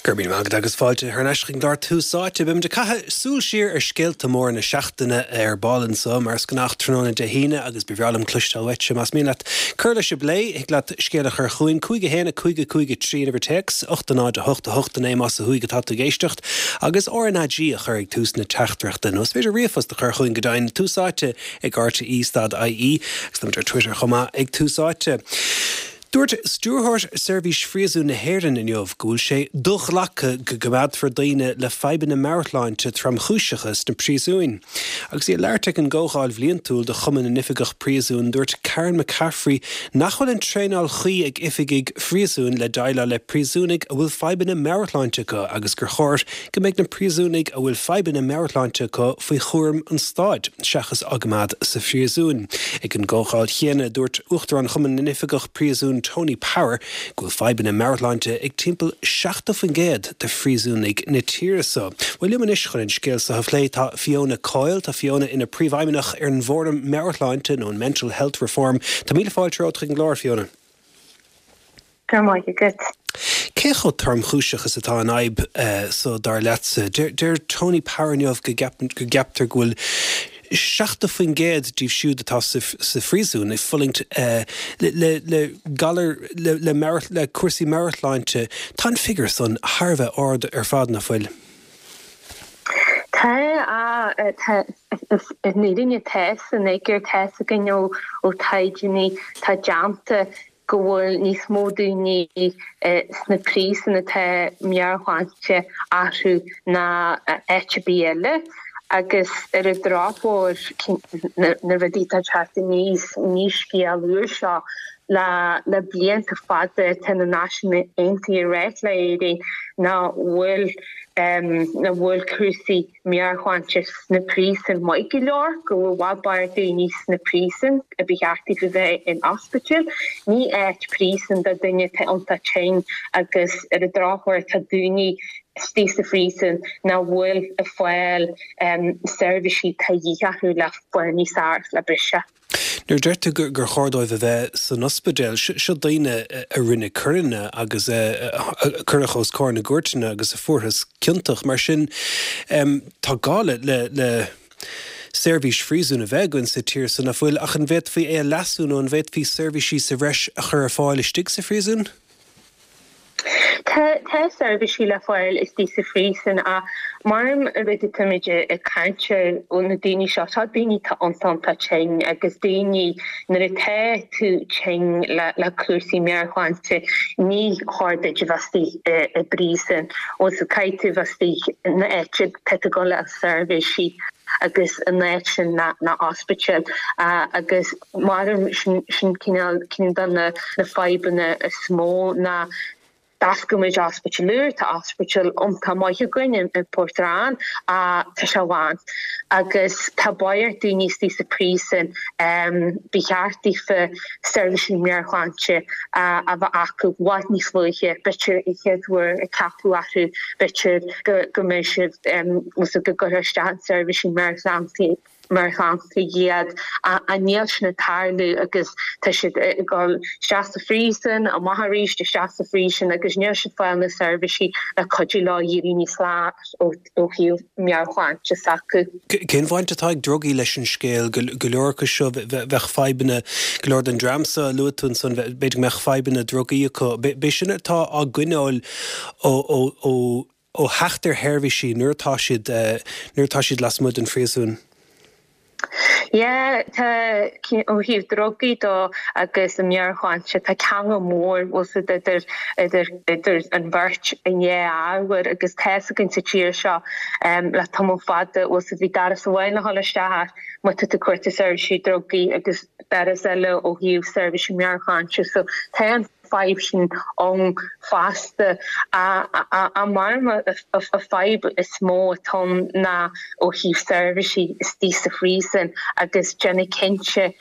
Go raibh míle maith agat agus fáilte thar n-ais chuig an gclár Tús Áite. Beimid ag caitheamh súil siar ar scéalta móra na seachtaine ar ball anso, mar is gnách tráthnóna Dé hAoine agus ba bhreá liom cloisteáil uaitse más mian leat cur leis an bplé. Thig leat scéal a chur chugainn, 5 1 5 5 3 an uimhir téacs, 8 0 8 8 9 más ó thuaidh atá tú ag éisteacht, agus RnaG a chur ag tús na teachtaireachta. Nó is féidir ríomhphost a chur chugainn go deimhin, Tús Áite ag rte stad ie agus táimid ar Twitter chomh maith ag Tús Áite. Dúirt Stiúrthóir Seirbhís Phríosúin na hÉireann inniu go bhfuil sé do-ghlactha go gcoimeádfar daoine le fadhbanna meabhairshláinte tromchúiseacha sna príosúin. Agus í ag labhairt ag an gcomhdháil bhliantúil de Chumann na nOifigeach Príosúin, dúirt Karen McCaffrey nach bhfuil an traenáil chuí ag oifigigh phríosúin le déileáil le príosúnaigh a bhfuil fadhbanna meabhairshláinte acu agus gur chóir go mbeidh na príosúnaigh a bhfuil fadhbanna meabhairshláinte acu faoi chúram an stáit seachas á gcoimeád sa phríosún. Ag an gcomhdháil chéanna, dúirt Uachtarán Chumann na nOifigeach Príosún Tony Power go bhfuil fadhbanna meabhairshláinte ag timpeall 70% de phríosúnaigh na tíre seo. Bhuel, liom anois chun an scéal seo a phlé tá Fiona Coyle. Tá Fiona ina Príomhfheidhmeannach ar an bhFóram Meabhairshláinte nó an Mental Health Reform. Tá míle fáilte romhat chuig an gclár, Fiona. Go raibh maith agat. Cé chomh tromchúiseach is atá an fhadhb so dar leatsa? Deir Tony Power inniu go gceaptar go bhfuil 70% díobh siúd atá sa phríosún ag fulaingt le galar, le cúrsaí meabhairshláinte. Tá an figiúr san thar a bheith ard ar fad, nach bhfuil? Tá, tá, i ndáiríre tá san fhigiúr, tá fhios againn ó taighdeanna atá déanta go bhfuil níos mó daoine sna príosúin atá meabhairshláinte orthu ná áit ar bith eile agus ar an drochuair na rudaí atá ag teacht aníos, ní scéal úr seo le blianta fada tá na Náisiúin Aontaithe ag ráit le Éirinn nach bhfuil nach bhfuil cúrsaí meabhairshláinte sna príosúin maith go leor, go bhfuil i bhfad barr daoine sna príosúin a ba cheart daofa bheith in ospidéal. Ní áit príosún do duine atá iontach tinn agus ar an drochuair tá daoine istigh sa phríosún nach bhfuil ag fáil seirbhísí atá de dhíth orthu le fáil níos fearr le briseadh. Nuair a deir tú gur chóir dóibh a bheith san ospidéal, seo daoine a rinne coireanna agus a cuireadh os comhair na gcúirteanna agus a fuarthas ciontach. Mar sin, tá gá le seirbhís phríosúin a bheith againn sa tír so, nach bhfuil? Ach an bhféadfaí é a leasú nó an bhféadfaí seirbhísí sa bhreis a chur ar fáil istigh sa phríosún? Tá seirbhísí le fáil istigh sa phríosún ach mar an rud atáimid ag caint air ó na daoine seo, seo daoine atá iontach iontach tinn agus daoine nuair atá tú tinn le cúrsaí meabhairshláinte ní chóir duit a bheith istigh i bpríosún ó so caithfidh tú bheith istigh in áit tá tú ag dul le seirbhísí agus an áit sin ná ospidéal agus Mar sin cineál ceann de na fadhbanna is mó ná d'oscail muid ospidéal úr, tá ospidéal iontach maith againn i bPort Árann ach tá sé lán agus tá barr daoine istigh sa phríosún, ba cheart daofa seirbhísí meabhairshláinte a bheith acu i bhfad níos luaithe, b'fhéidir an chéad uair a ceapadh orthu, b'fhéidir go mbeidh siad, go gcuirfear isteach in seirbhísí meabhairshláinte. meabhairshláinte iad ach níl sin ag tarlú agus tá siad ag dul isteach sa phríosún, amach arís, isteach sa phríosún agus níl siad ag fáil na seirbhísí le cuidiú leo éirí níos fearr ó thaobh meabhairshláinte s'acu. Cén bhaint atá ag drugaí leis an scéal? Go leor acu seo bheadh fadhbanna, go leor den dream seo a luaigh tú ansan, b'fhéidir go mbeadh fadhbanna drugaí acu. B'é sin atá á gcoinneáil ó ó theacht ar sheirbhísí nuair atá siad nuair atá siad lasmuigh den phríosún. Yeah, tá, ó thaobh drugaí dó agus an meabhairshláinte, tá ceangal mór, bhfuil 's a'd, idir, idir, idir an bheirt an dhá ábhar agus tá 'fhios againn sa tír seo le tamall fada, bhfuil 's a'd, bhí doras amháin le dhul isteach ach má tá tú ag cuartú seirbhísí drugaí agus doras eile ó thaobh seirbhísí meabhairshláinte so tá an fadhb sin ann fosta. Ach mar an fadhb is mó atá ann ná ó thaobh seirbhísí istigh sa phríosún agus déanamh cinnte.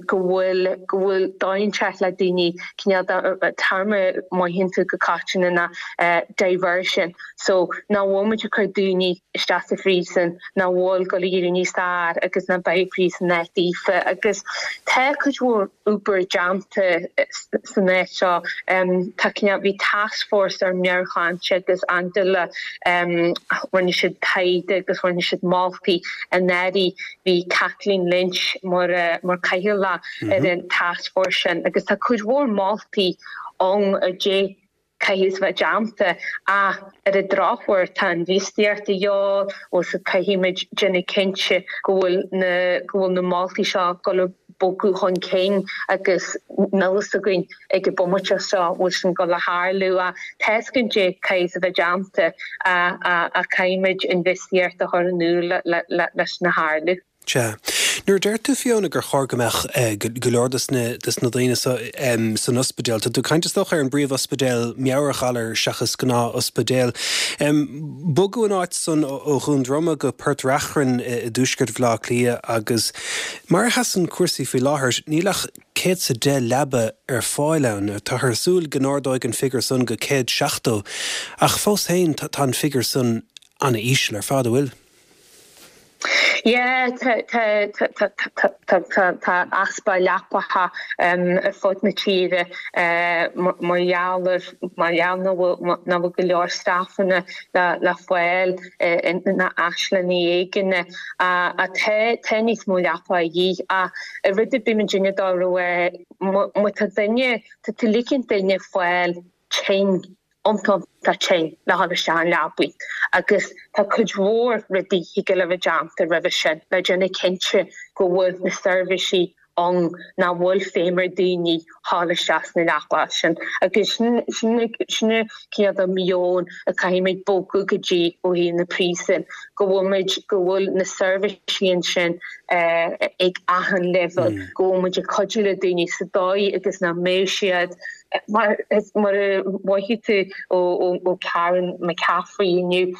Go bhfuil, go bhfuil dóigh inteacht le daoine, cineál de téarma mothaíonn tú go coitianta ná diversion. So nach bhfuil muid ag cur daoine isteach sa phríosún, nach bhfuil ag dul ag éirí níos fearr agus nach mbeidh príosún áit daofa. Agus tá cuid mhór obair déanta san áit seo. Tá cineál, bhí task force ar meabhairshláinte agus Angela, rinne siad taighde agus rinne siad moltaí anuraidh. Bhí Kathleen Lynch mar mar cathaoirleach ar an task force sin agus tá cuid mhór moltaí ann a caithfidh a bheith déanta ach ar an drochuair tá infheistíocht de dhíobháil agus caithfidh muid déanamh cinnte go bhfuil na go bhfuil na moltaí seo ag dul ag bogadh chun cinn agus níl fhios againn ag an bomaite seo bhfuil sin ag dul a tharlú ach tá fhios againn caidé caithfidh a bheith déanta ach caithfidh muid infheistíocht a chur in iúl leis sin a tharlú. Sea. Nuair a deir tú, Fiona, gur chóir go mbeadh go leor dos na daoine seo san ospidéal, tá tú ag caint is dócha ar an bpríomh-ospidéal meabhairghalar seachas gnáth-ospidéal. Bogadh an áit san ó Dhún Droma go Port Reachrann i dtuaisceart Bhaile Átha Cliath agus mar a sheasann cúrsaí faoi láthair, níl ach 110 leaba ar fáil ann. Táthar ag súil go n-ardóidh an figiúr san go 170 ach fós féin tá an figiúr san an-íseal ar fad, an bhfuil? Yeah, tá easpa leapacha ar fud na tíre mar gheall ar, mar gheall nach bhfuil go leor staifeanna le fáil ina áislanna éigin. Tá tá níos mó leapacha a dhíth ach rud a bímid ag déanamh dá raibh má tá duine, tá tú ligint duine fáil tinn iontach tinn le dhul isteach an leabaidh agus tá cuid mhór rudaí thig le bheith déanta roimhe sin le déanamh cinnte go bhfuil na seirbhísí ann nach bhfuil feidhm ar daoine dhul isteach sna leapacha sin agus sin sin sin an cineál de meon a caithfimid bogadh go dtí ó thaobh na príosún go bhfuil muid go bhfuil na seirbhísí ansin ag achan leibhéal go bhfuil muid ag cuidiú le daoine sa dóigh agus nach mbeidh siad Mar a mhothaigh tú ó Karen McCaffrey inniu,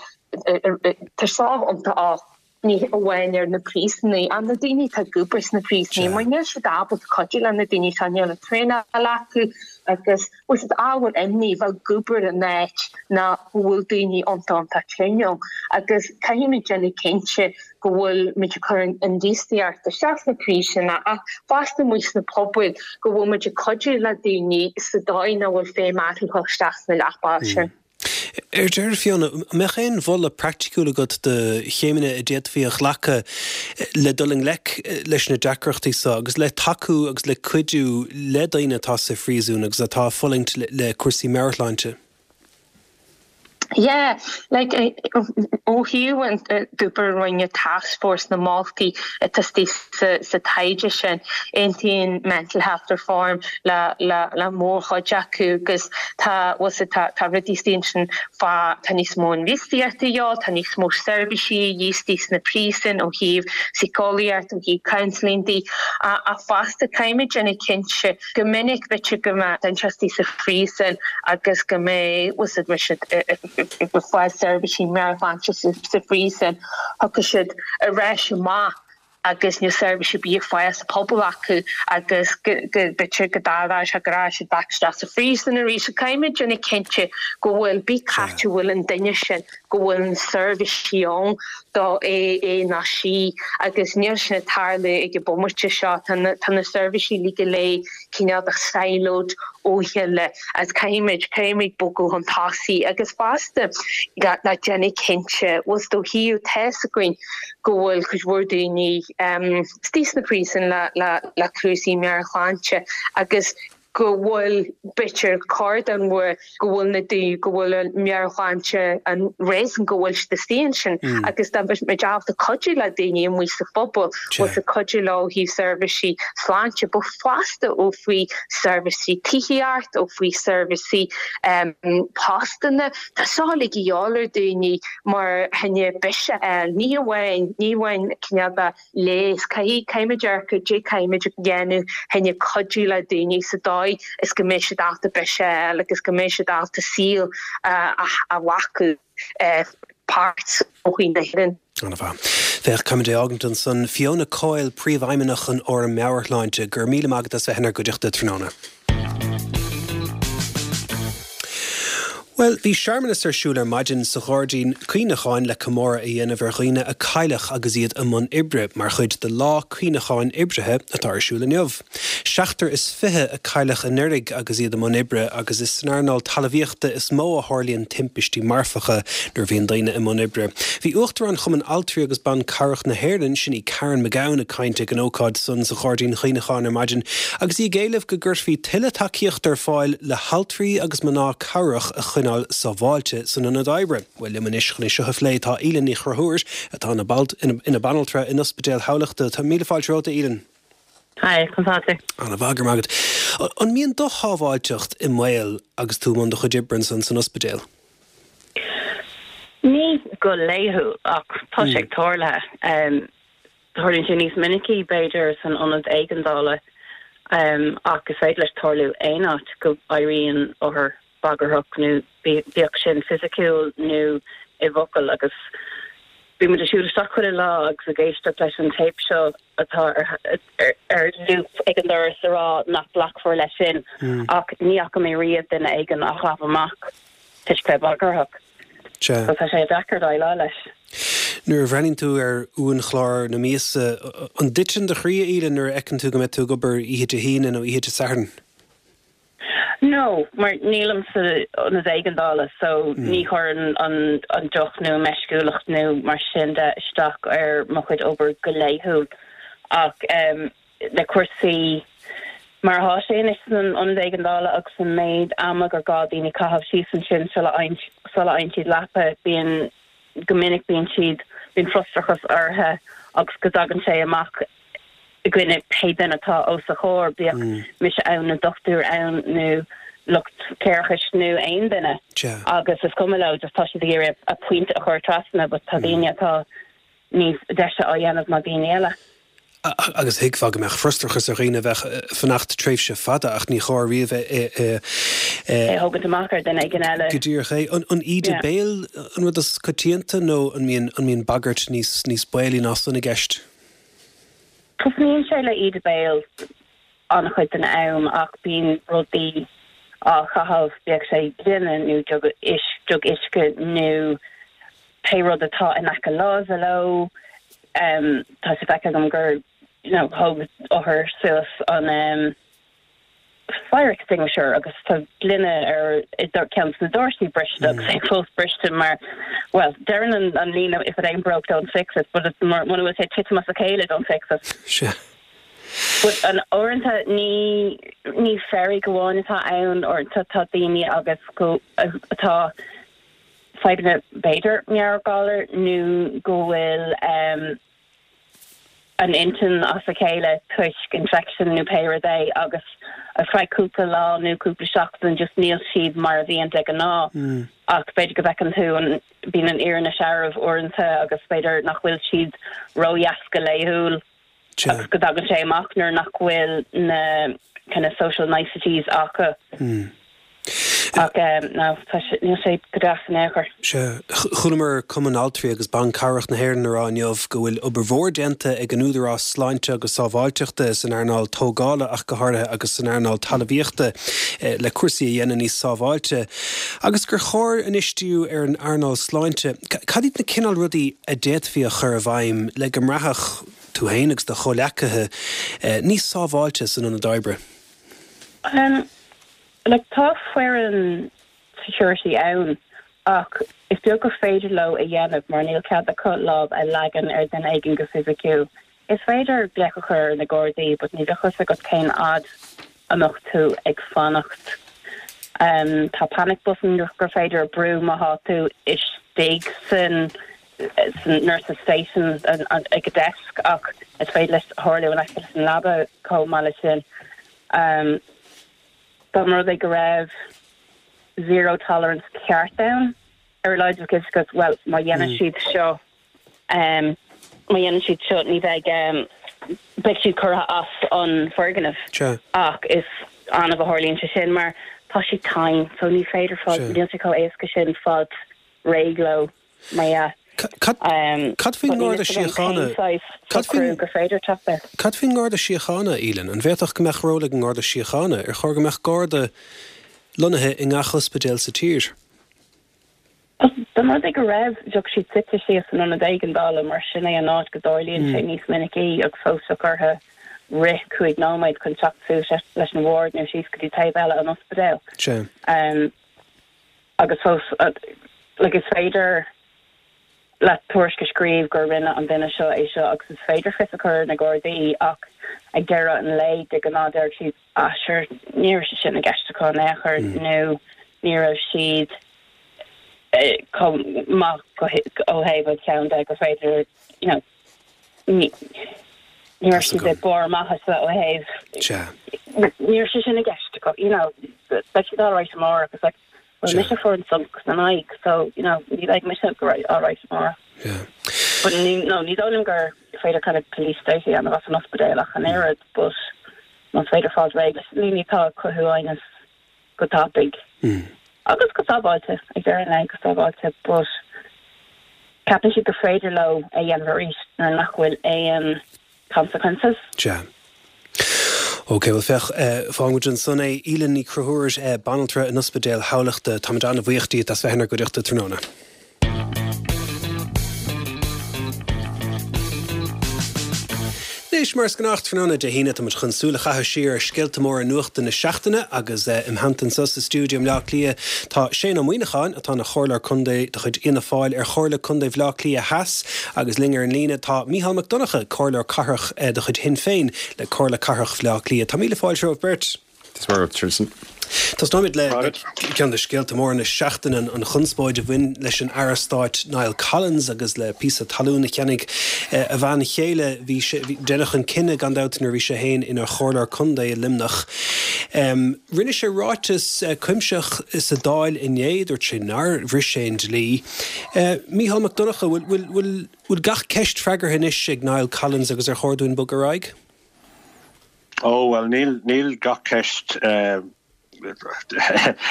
tá seo iontach ní amháin ar na príosúnaigh ach na daoine atá ag obair sna príosúnaigh mar níl siad ábalta cuidiú le na daoine seo, níl an traenáil acu agus bhfuil siad ábhar imní bheith ag obair in áit nach bhfuil daoine iontach iontach tinn ann agus caithfimid déanamh cinnte go bhfuil muid ag cur infheistíocht isteach sna príosúin ach fosta amuigh sna pobail go bhfuil muid ag cuidiú le daoine sa dóigh nach bhfuil feidhm orthu dhul isteach sna leapacha sin. Ar deireadh, Fiona, an mbeadh aon mholadh praiticiúil agat do chéimeanna a d'fhéadfaí a ghlacadh le dul i ngleic leis na deacrachtaí seo agus le tacú agus le cuidiú le daoine atá sa phríosún agus atá ag fulaingt le cúrsaí meabhairshláinte? Yeah, like, ó thaobh an obair a rinne task force na moltaí atá istigh sa taighde sin, aontaíonn Mental Health Reform le le mórchuid acu agus tá, bhfuil 's tá tá rudaí istigh ansin fá tá níos mó infheistíochta a dhíobháil, tá níos mó seirbhísí a dhíth istigh sna príosúin ó thaobh síceolaíocht, ó thaobh counselling de ach fosta caithfimid déanamh cinnte Go minic b'fhéidir go mbeadh duine istigh sa phríosún agus go mbeadh, bhfuil 's a'd, bheadh siad ag fáil seirbhísí meabhairshláinte sa phríosún, thiocfadh siad ar ais amach agus níl seirbhís ar bith ag fáil sa phobal acu agus go b'fhéidir go dtarlódh sé go raghadh siad back isteach sa phríosún arís. So caithfimid déanamh cinnte go bhfuil, pé cá bhfuil an duine sin, go bhfuil na seirbhísí ann do é, é nó sí agus níl sin ag tarlú ag an bomaite seo. Tá na, tá na seirbhísí uilig go léir cineál de siloed ó chéile agus caithfimid, caithfimid bogadh chun tosaigh agus fosta le, le déanamh cinnte, bhfuil 's ó thaobh, tá 'fhios againn go bhfuil cuid mhór daoine istigh sna príosúin le, le, le cúrsaí meabhairshláinte agus go bhfuil, b'fhéidir, cuid den bhfuath go bhfuil na daoine, go bhfuil an meabhairshláinte an réasún go bhfuil siad istigh ansin agus dá mbeadh muid ábalta cuidiú le daoine amuigh sa phobal, bhfuil 's a'd cuidiú leo ó thaobh seirbhísí sláinte, but fosta ó faoi seirbhísí tithíocht, ó faoi seirbhísí postanna, tá seo uilig a dhíobháil ar daoine mar choinne biseach a fháil, ní amháin, ní amháin cineál de leigheas. Caithfidh, caithfimid amharc ar caidé caithfimid a dhéanamh choinne cuidiú le daoine sa dóigh is go mbeidh siad ábalta biseach a fháil agus go mbeidh siad ábalta saol a ghlacadh páirt i sochaí na hÉireann. Ana-mhaith. Féach, caithfimid é a fhágaint ansan. Fiona Coyle, Príomhfheidhmeannach an Fhóraim Meabhairshláinte, go raibh míle maith agat as bheith inár gcuideachta tráthnóna. Bhuel, bhí searmanas ar siúl ar maidin sa Ghairdín Cuimhneacháin le comóradh a dhéanamh ar dhaoine a cailleadh agus iad i mbun oibre, mar chuid de Lá Cuimhneacháin Oibrithe atá ar siúl inniu. 27 a cailleadh anuraidh agus iad i mbun oibre agus is san earnáil talmhaíochta is mó a tharlaíonn timpistí marfacha nuair a bhíonn daoine i mbun oibre. Bhí Uachtarán Chumann Altraí agus Ban Cabhrach na hÉireann, sin í Karen McGowan, ag caint ag an ócáid san sa Ghairdín Chuimhneacháin ar maidin agus í ag éileamh go gcuirfí tuilleadh tacaíochta ar fáil le haltraí agus mná cabhrach a choinneáil sábháilte san ionad oibre. Bhuel, liom anois chun é seo a phlé tá Aoileann Ní Chonchúir, atá ina banaltra in Ospidéal Thamhlachta. Tá míle fáilte romhat, a Aoileann. Hi, conas tá tú? Ana mhaith, go raibh maith agat. An mbíonn do shábháilteacht i mbaol agus tú i mbun do chuid oibre ansan san ospidéal? Ní go laethúil, ach tá sé ag tarlú. Tarlaíonn sé níos minicí, b'fhéidir, san ionad éigeandála, ach is féidir leis tarlú aon áit go éiríonn othar bagarthach nó bíodh sin fisiciúil nó i bhfocail agus bíonn muid ag siúl isteach chuile lá agus ag éisteacht leis an téip seo atá ar loop ag an doras a rá nach nglacfar leis sin ach ní fhaca mé riamh duine éigin á chaitheamh amach toisc bheith bagarthach. So tá sé deacair déileáil leis. Nuair a bhreathnaíonn tú ar uainchlár na míosa, an dtiteann do chroí, a Aoileann, nuair a fheiceann tú go mbeidh tú ag obair oíche Dé hAoine nó oíche Dé Sathairn? No, mar nílim san ionad éigeandála so ní chuireann an deoch nó an meisciúlacht nó mar sin de isteach ar mo chuid obair go laethúil. Ach le cúrsaí mar atá sé anois san ionad éigeandála agus an méid ama gur gá daoine caitheamh síos ansin sula bhfaigheann siad leapa, bíonn, go minic bíonn siad, bíonn frustrachas orthu agus go dtagann sé amach i gcoinne pé duine atá os a chomhair, bíodh mise ann nó dochtúir ann nó lucht cléireachais nó aon duine agus is cuma leo, just tá siad ag iarraidh a pointe a chur trasna but tá daoine atá níos deise á dhéanamh ná daoine eile. Agus thuigfeá go mbeadh frustrachas ar dhaoine a bheadh ag fanacht tréimhse fada ach ní chóir riamh é a. É a thógaint amach ar duine éigin eile. Go díreach é. An íde béil an rud is coitianta nó an mbíonn bagairt níos níos baolaí ná san i gceist? Tosnaíonn sé le íde béil an-chuid den am ach bíonn rudaí á chaitheamh, bíodh sé gloine nó jug uisce nó pé rud atá in aice láimhe leo. Tá sé feicthe agam gur you know thóg othar suas an. fire extinguisher agus tá gloine ar ceann de na doirse briste agus é fós briste mar, bhuel, deireann an líne if it ain't broke don't fix it but muna bhfuil sé ag titim as a chéile don't fix it. Sea. But an uaireanta ní ní fearg amháin atá ann, uaireanta tá daoine agus go atá fadhbanna b'fhéidir meabhairghalair nó go bhfuil um, an intinn as a chéile toisc infection nó pé rud é agus ar feadh cúpla lá nó cúpla seachtain just níl siad mar a bhíonn de ghnáth ach b'fhéidir go bhfeiceann tú an bíonn an fhírinne searbh uaireanta agus b'fhéidir nach bhfuil siad ródheas go laethúil agus go dtagann sé amach nuair nach bhfuil na kind of social niceties acu. Ach no, tá sé, níl sé go deas in aon chor. Sea. Chualamar Cumann Altraí agus Ban Cabhrach na hÉireann ag rá inniu go bhfuil obair mhór déanta ag an Údarás Sláinte agus Sábháilteachta san earnáil tógála ach go háirithe agus san earnáil talmhaíochta le cúrsaí a dhéanamh níos sábháilte agus gur chóir anois díriú ar an earnáil sláinte. Cad iad na cineál rudaí a d'fhéadfaí a chur i bhfeidhm le go mbraithfeadh tú féin agus do chomhleacaithe níos sábháilte san ionad oibre? Like tá foireann security ann ach is beag gur féidir leo a dhéanamh mar níl cead acu lámh a leagan ar duine éigin go fisiciúil. Is féidir glaoch a chur ar na Gardaí but ní bheadh a fhios agat cén fhad a mbeadh tú ag fanacht. Tá panic button gur féidir a brú má thá tú istigh san san nurses station ag a desk ach is féidir leis tharlú in aice leis an leaba chomh maith leis sin. Dá mba rud é go raibh zero tolerance ceart ann, ar a laghad bheadh fhios agat, bhuel, má dhéanann siad seo, má dhéanann siad seo ní bheidh, beidh siad curtha as an foirgneamh. Ach is annamh a tharlaíonn sé sin mar tá siad tinn so ní féidir fáil, níl sé chomh éasca sin fáil réidh leo, mar dhea. Cad faoin nGarda Síochána? Cad faoin gur féidir teacht air? Cad faoin nGarda Síochána, Aoileann? An bhféadfadh go mbeadh ról ag an nGarda Síochána? Ar chóir go mbeadh Garda lonnaithe i ngach ospidéal sa tír? Dá mba rud é go raibh, bheadh siad suite síos san ionad éigeandála mar sin é an áit go dtarlaíonn sé níos minicí agus fós bheadh orthu rith 5 nóiméad chun teacht suas leis an ward nó síos go dtí taobh eile an ospidéil. Agus fós, like, is féidir leat tuairisc a scríobh gur rinne an duine seo é seo agus is féidir fios a chur ar na Gardaí ach ag deireadh an lae de ghnáth déarfaidh siad ah sure ní raibh sé sin i gceist acu in aon chor nó ní raibh siad chomh maith ó thaobh an cheann de gur féidir you know ní ní raibh siad ag barr maitheasa ó thaobh ní raibh sé sin i gceist acu you know beidh siad alright amárach it's like well mise a fuair an sonc san aghaidh so you know ní bheidh mise alright amárach. But ní no ní dóigh liom gur féidir kind of police state a dhéanamh as an ospidéal ach an oiread but más féidir fáil réidh leis na daoine atá ag cothú aighneas go tapaidh agus go sábháilte, ag deireadh an lae, go sábháilte, but ceapann siad gur féidir leo é a dhéanamh arís nuair nach bhfuil aon consequences. Sea. Ok, bhuel féach, fágfaidh muid ansan é. Aoileann Ní Chonchúir, banaltra in Ospidéal Thamhlachta, táimid an-bhuíoch díot as bheith inár gcuideachta tráthnóna. Anois, mar is gnách tráthnóna Dé hAoine, tá muid chun súil a chaitheamh siar ar scéalta móra nuachta na seachtaine agus im theannta anseo sa stiúideo i mBleá Cliath tá Shane Ó Muíneacháin, atá ina Chomhairleoir Contae de chuid Fhianna Fáil ar Chomhairle Contae Bhaile Átha Cliath Theas agus linn ar an líne tá Mícheál Mac Donncha, Comhairleoir Cathrach de chuid Shinn Féin le Comhairle Cathrach Bhaile Átha Cliath. Tá míle fáilte romhaibh beirt. Tristan. Tosnóimid le ceann de scéalta móra na seachtaine, an chonspóid a bhain leis an Aire Stáit Niall Collins agus le píosa talún a cheannaigh a bhean chéile. Bhí sé, deineadh an cinneadh gan dabht nuair a bhí sé féin ina chomhairleoir contae i Luimneach. Rinne sé ráiteas cuimsitheach sa Dáil inné, dúirt sé nár bhris sé an dlí. Mícheál Mac Donncha, bhfuil, bhfuil, bhfuil gach ceist freagartha anois ag Niall Collins agus ar chóir dúinn bogadh ar aghaidh? Ó, bhuel, níl, níl gach ceist,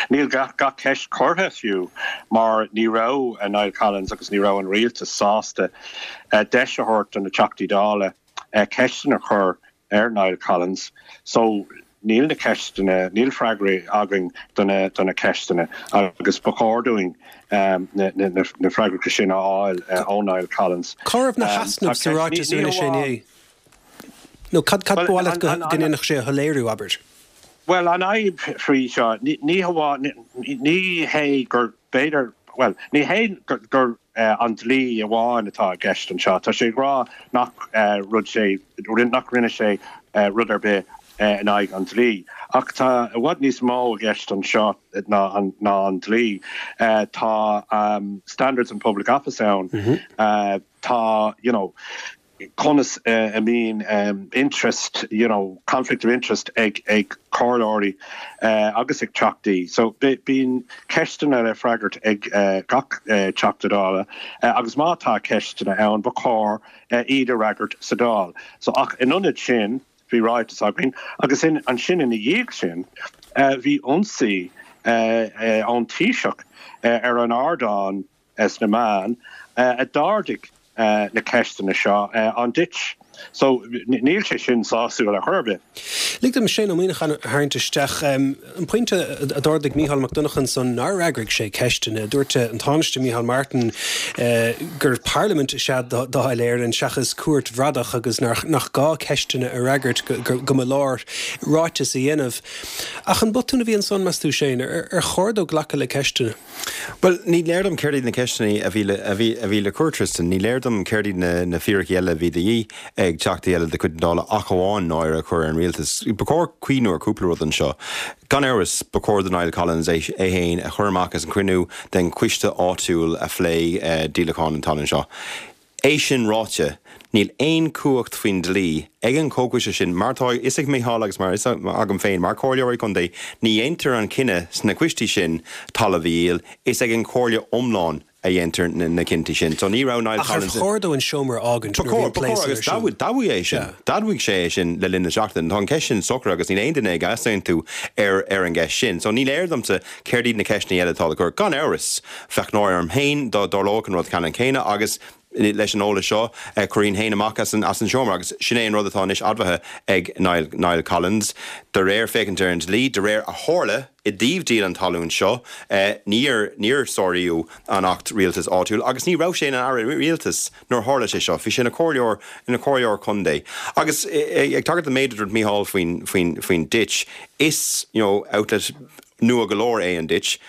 níl gach, gach ceist curtha fiú mar ní raibh Niall Collins agus ní raibh an rialtas sásta deis a thabhairt do na Teachtaí Dála ceisteanna a chur ar Niall Collins. So, níl na ceisteanna, níl freagraí againn do na, do na ceisteanna agus ba chóir dúinn na, na, na freagracha sin a fháil ó Niall Collins. Cá raibh na heasnaimh sa ráiteas a rinne sé inné? Nó cad ba mhaith leat go ndéanfadh sé a shoiléiriú, abair? Bhuel, an fhadhb faoi seo, ní hamháin, ní hé gur b'fhéidir, bhuel, ní hé gur an dlí amháin atá i gceist anseo. Tá sé ag rá nach rud sé, nach rinne sé rud ar bith in aghaidh an dlí. Ach tá i bhfad níos mó i gceist anseo ná an dlí. Tá Standards in Public Office ann. Tá, you know, conas a mbíonn interest, you know, conflict of interest ag ag comhairleoirí agus ag teachtaí. So bíonn ceisteanna le freagairt ag gach Teachta Dála agus má tá ceisteanna ann ba chóir iad a fhreagairt sa Dáil. So ach in ionad sin bhí ráiteas againn agus in ansin ina dhiaidh sin bhí ionsaí ón Taoiseach ar an ardán sna meáin a d'ardaigh na ceisteanna seo, an ditch. So, níl sé sin sásúil ar chor ar bith. Lig dom Shane Ó Muíneacháin a tharraingt isteach. An pointe a d'ardaigh Mícheál Mac Donncha ansan nár fhreagraigh sé ceisteanna. Dúirt an Tánaiste Micheál Martin gur parlaimint is ea Dáil Éireann seachas cúirt bhradach agus nach gá ceisteanna a fhreagairt, go mba leor ráiteas a dhéanamh. Ach an botún a bhí ansan, meas tú, Shane? Ar chóir dó glacadh le ceisteanna? Bhuel, ní léir dom céard iad na ceisteanna a bhí le, a bhí, a bhí le cur, Tristan. Ní léir dom céard iad na, na fíricí eile a bhí de dhíth ag teachtaí eile de chuid na Dála ach amháin náire a chur ar an rialtas. Ba chóir cuimhniú ar chúpla rud anseo. Gan amhras, ba chóir do Niall Collins é, é féin a chur amach as an chruinniú den choiste áitiúil a phléigh díolachán an talún seo. É sin ráite, níl aon chumhacht faoin dlí ag an chomhchoiste sin, mar atá a fhios ag Micheál agus mar atá a fhios agam féin mar chomhairleoirí contae, ní dhéantar an cinneadh sna coistí sin talamh a dhíol, is ag an chomhairle iomlán. a dhéantar na cinntí sin. So ní raibh Niall Ach ar Collins. chóir dó an seomra a fhágaint Ba nuair a bhí chóir, an ba plé chóir san ar agus siúl? d'admhaigh é sin. Sea. D'admhaigh sé é sin le linn na seachtaine. Tá an cheist sin socraithe agus níl aon duine ag easaontú ar ar an gceist sin. So ní léir domsa céard iad na ceisteanna eile atá le cur. Gan amhras, bheadh náire orm féin dá dtarlódh an rud ceannann céanna agus leis an eolas seo, chuirfinn féin amach as an as an seomra agus sin é an rud atá anois admhaithe ag Niall Niall Collins. De réir féachaint ar an dlí, de réir a tharla i dtaobh díol an talún seo, níor níor sáraíodh an Acht Rialtais Áitiúil agus ní raibh sé ina Aire Rialtais nuair a tharla sé seo. Bhí sé ina chomhairleoir ina chomhairleoir contae. Agus ag tagairt don méid a dúirt Mícheál faoin faoin faoin Ditch, is you know outlet nua go leor é an Ditch.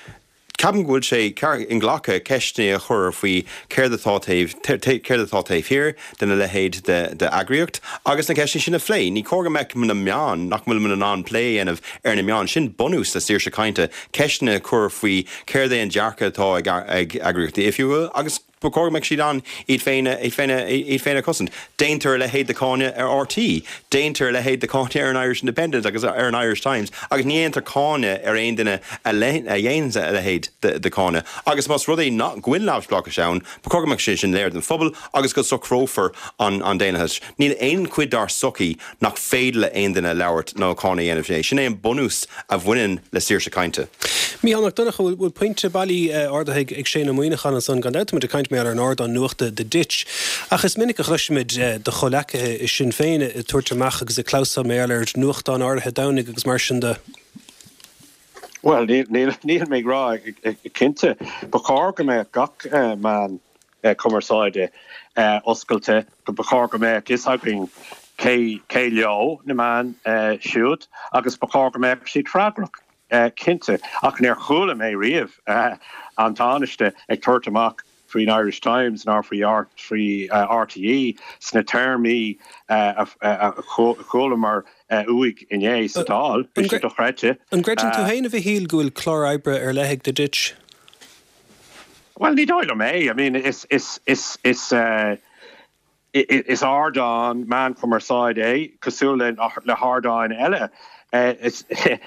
Ceapaim go bhfuil sé inghlactha ceisteanna a chur faoi céard atá taobh céard atá taobh thiar de na leithéid de d'eagraíocht agus na ceisteanna sin a phlé. Ní cóir go mbeadh na meáin, nach bhfuil muid in ann plé a dhéanamh ar na meáin, sin bunús na saoirse cainte, ceisteanna a chur faoi céard é an dearcadh atá ag ag eagraíochtaí oifigiúla agus Ba chóir go mbeadh siad in ann iad féin a, iad féin a, iad féin a chosaint. Déantar a leithéid de cháineadh ar RTÉ, déantar a leithéid de cháineadh ar an Irish Independent agus ar an Irish Times agus ní dhéantar cáineadh ar aon duine a a dhéanann a leithéid de, de cháineadh. Agus más rud é nach go bhfuil neamhspleáchas ann, ba chóir go mbeadh sé sin léir don phobal agus go socrófar an, an daonlathas. Níl aon chuid dár sochaí nach féidir le aon duine labhairt nó cáineadh a dhéanamh. Sin é an bunús a bhaineann le saoirse cainte. Mícheál Mac Donncha, bhfuil pointe bailí ardaithe ag Shane Ó Muíneacháin ansan? Gan dabht tá muid ag caint mar gheall ar an ardán nuachta The Ditch. Ach is minic a chloisimid do chomhleacaithe i Sinn Féin ag tabhairt amach agus ag clamhsán mar gheall ar nuachtáin áirithe Domhnaigh agus mar sin de. Bhuel, níl mé ag rá, cinnte, ba chóir go mbeadh gach meán cumarsáide oscailte, ba chóir go mbeadh fhios againn cé cé leo na meáin siúd agus ba chóir go mbeadh siad freagrach, cinnte. Ach níor chuala mé riamh an Tánaiste ag tabhairt amach faoin Irish Times ná faoi faoi RTÉ sna téarmaí a chualamar uaidh inné sa Dáil. Bhí sé dochreidte. An gcreideann tú féin, a Mhichíl, go bhfuil clár oibre ar leith ag The Ditch? Bhuel, ní dóigh liom é. I mean, is, is, is, is, eh, is ardán meán cumarsáide é, cosúil le, le hardáin eile. Eh, is,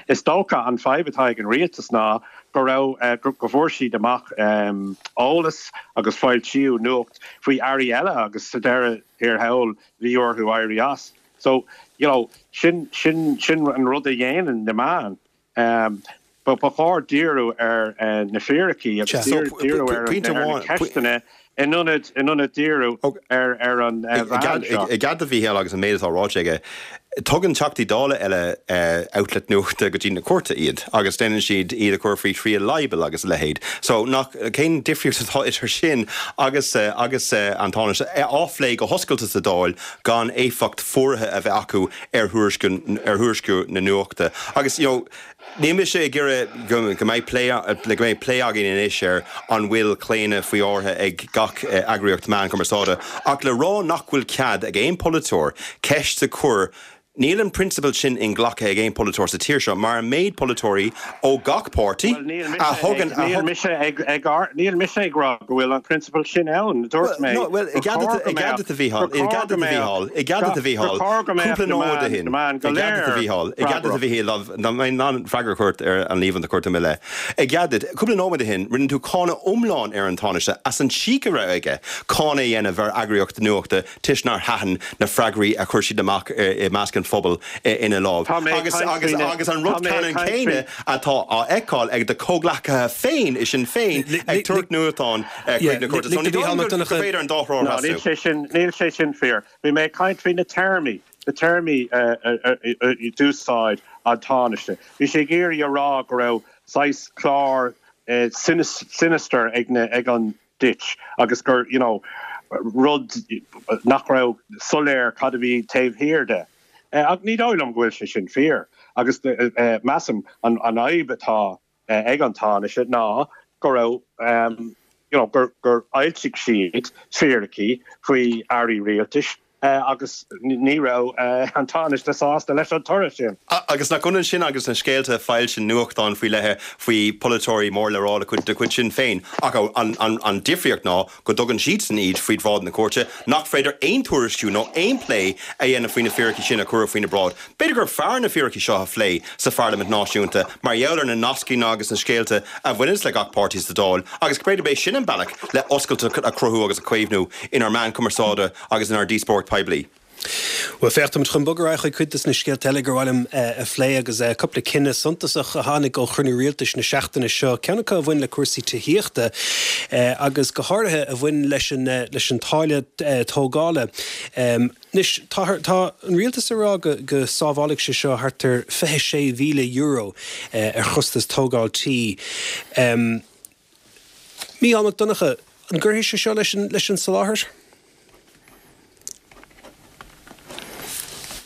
is dócha an fadhb atá ag an rialtas ná go raibh, eh, go, go bhfuair siad amach, em, eolas agus foilsíodh nuacht faoi airí eile agus sa deireadh thiar thall bhí orthu éirí as. So, you know, sin, sin, sin an rud a dhéanann na meáin. Ba chóir díriú ar na fíricí agus díriú ar na ceisteanna in ionad díriú ar an bhean seo. I gcead do Mhícheál agus an méid atá ráite aige, tugann Teachtaí Dála eile outlet nuachta go dtí na cúirte iad agus déanann siad iad a chur faoi thriail libel agus a leithéid. So nach, cén difríocht atá idir sin agus agus an Tánaiste á phlé go hoscailte sa Dáil gan éifeacht fuaraithe a bheith acu ar thuairisciú na nuachta. Agus, you know, níl mise ag iarraidh go mbeidh plé, go mbeidh plé againn anois ar an bhfuil claonadh faoi áirithe ag gach eagraíocht meán cumarsáide, ach le rá nach bhfuil cead ag aon pholaiteoir ceist a chur, níl an prionsabal sin inghlactha ag aon pholaiteoir sa tír seo, mar an méid polaiteoirí ó gach páirtí a thugann, a Níl mise ag, ag, níl mise ag rá go bhfuil an prionsabal sin ann. Dúirt mé gur chóir go mbeadh, gur chóir go mbeadh, I gcead duit a Mhícheáil, cúpla nóiméad ó shin, i gcead duit a Mhícheáil, i gcead duit a Mhíchíl, dá mbeinn in ann freagra a thabhairt ar an líomhain a chuir tú i mo leith. I gcead duit, cúpla nóiméad ó shin, rinne tú cáineadh iomlán ar an Tánaiste as an cheek a raibh aige cáineadh a dhéanamh ar eagraíocht nuachta toisc nár thaitin na freagraí a chuir siad amach i measc an phobail ina láimh. Agus, agus, agus an rud ceannann céanna atá á fheiceáil ag do chomhghleacaithe féin i Sinn Féin ag tabhairt nuachtáin chuig na cúirte. So ní dóigh liom gur féidir an dá thrá a No, níl sé sin, níl sé sin fíor. Bhí mé ag caint faoi na téarmaí, na téarmaí a d'úsáid an Tánaiste. Bhí sé ag iarraidh a rá go raibh saghas clár sinister ag na, ag an Ditch agus gur, you know, rud nach raibh soiléir cad a bhí taobh thiar de. Ach ní dóigh liom go bhfuil sé sin fíor. Agus measaim an fhadhb atá ag an Tánaiste ná go raibh, you know, gur gur fhoilsigh siad fíricí faoi airí rialtais. Agus ní raibh an Tánaiste sásta leis an toradh sin. Agus nach ionann sin agus na scéalta a foilsíonn nuachtáin faoi leith faoi pholaiteoirí mór le rá de chuid Sinn Féin. Ach an difríocht ná go dtugann siadsan iad faoi bhráid na cúirte, nach féidir aon tuairisciú nó aon plé a dhéanamh faoi na fíricí sin a cuireadh faoina bráid. B'fhéidir gur fearr na fíricí seo a phlé sa pharlaimint náisiúnta mar gheall ar na nascaí agus na scéalta a bhaineanns le gach páirtí sa Dáil agus b'fhéidir b'é sin an bealach le oscailteacht a chruthú agus a chaomhnú inár meán cumarsáide agus inár díospóireacht poiblí. Bhuel, féach, táimid chun bogadh ar aghaidh chuig cuid de na scéalta eile gur mhaith liom a phlé agus cúpla cinneadh suntasach a tháinig ó chruinniú rialtais na seachtaine seo, ceann acu a bhain le cúrsaí tithíochta agus go háirithe a bhain leis an leis an táille tógála. Anois, tá tá an rialtas ag rá go go sábhálfaidh sé seo thart ar €26,000 ar chostas tógáil tí. Mícheál Mac Donncha, an gcuirfidh sé seo leis an leis an soláthar?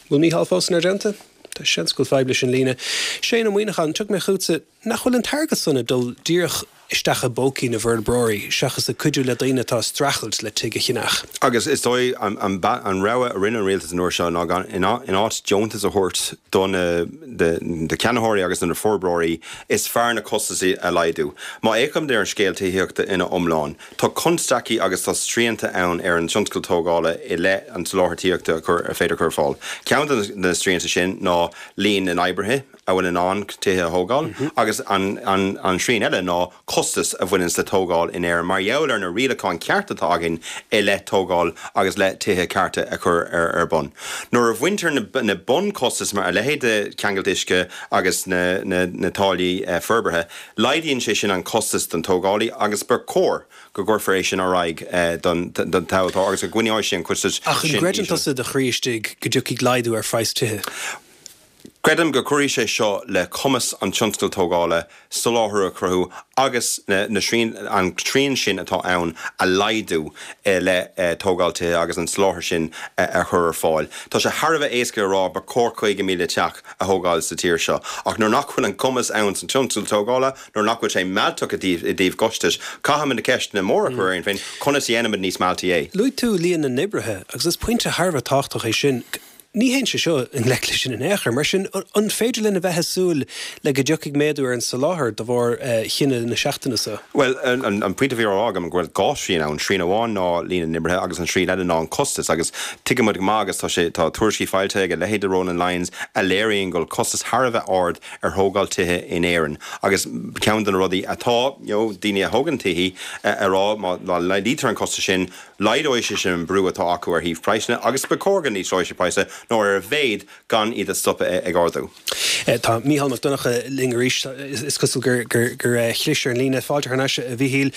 Bhfuil Mícheál fós inár dteannta? Tá seans go bhfuil fadhb leis an líne. Shane Ó Muíneacháin, tiocfaidh mé chugatsa. Nach bhfuil an t-airgead san ag dul díreach isteach i bpócaí na bhforbróirí seachas ag cuidiú le daoine atá ag streachailt le tigh a cheannach? Agus is dóigh an rogha a rinne an rialtas an uair seo ná gan, in áit deontas a thabhairt do na ceannaitheoirí agus do na forbróirí, is fearr na costais a laghdú. Má fhéachaimid ar an scéal tithíochta ina iomlán, tá constaicí agus tá srianta ann ar an tionscal tógála i leith an tsoláthair tithíochta ar féidir a chur ar fáil. Ceann de na srianta sin ná líon na n-oibrithe a bhfuil in ann tithe a thógáil agus an srian eile ná costas a bhaineanns le tógáil in Éirinn mar gheall ar na rialacháin cearta atá againn i leith tógáil agus le tithe cearta a chur ar bun. Nuair a bhaintear na bunchostais mar a leithéid de cheangailt uisce agus na táillí forbartha, laghdaíonn sé sin an costas don tógálaí agus ba chóir go gcuirfear é sin ar aghaidh don tomhaltóir agus go gcoinneoidh sé an costas sin íseal. Ach an gcreideann tusa i do chroí istigh go dtiocfaidh laghdú ar phraghas tithe? Creidim go gcuirfidh sé seo le cumas an tionscail tógála soláthar a chruthú agus na an srian sin atá ann a laghdú i leith tógáil tithe agus an soláthar sin a chur ar fáil. Tá sé thar a bheith éasca a rá ba chóir 50,000 teach a thógáil sa tír seo ach nuair nach bhfuil an cumas ann san tionscal tógála, nuair nach bhfuil sé mealltach i dtaobh costais, caithfimid na ceisteanna móra a chur orainn féin, conas a dhéanaimid níos mealltaí é? Luaigh tú líon na n-oibrithe agus is pointe thar a bheith tábhachtach é sin. Ní théann sé seo i ngleic leis sin in aon chor. Mar sin, an féidir linn a bheith ag súil le go dtiocfaidh méadú ar an soláthar de bharr chinneadh na seachtaine seo? Bhuel, an pointe a bhí á rá agam go bhfuil dhá shrian ann, srian amháin ná líon na n-oibrithe agus an srian eile ná an costas agus tuigeann muid go maith agus tá sé, tá tuairiscí foilsithe ag a leithéid de Ronan Lyons a léiríonn go bhfuil costas thar a bheith ard ar thógáil tithe in Éirinn agus ceann de na rudaí atá, you know, daoine a thógann tithe a rá má laghdaítear an costas sin, Laghdóidh sé sin an brú atá acu ar thaobh praghsanna agus ba chóir go n-ísleoidh sé praghsanna nó ar a mhéad gan iad a stopadh ag ardú. Tá Mícheál Mac Donncha linn arís. Is cosúil gur chlis ar an líne. Fáilte thar n-ais, a Mhíchíl.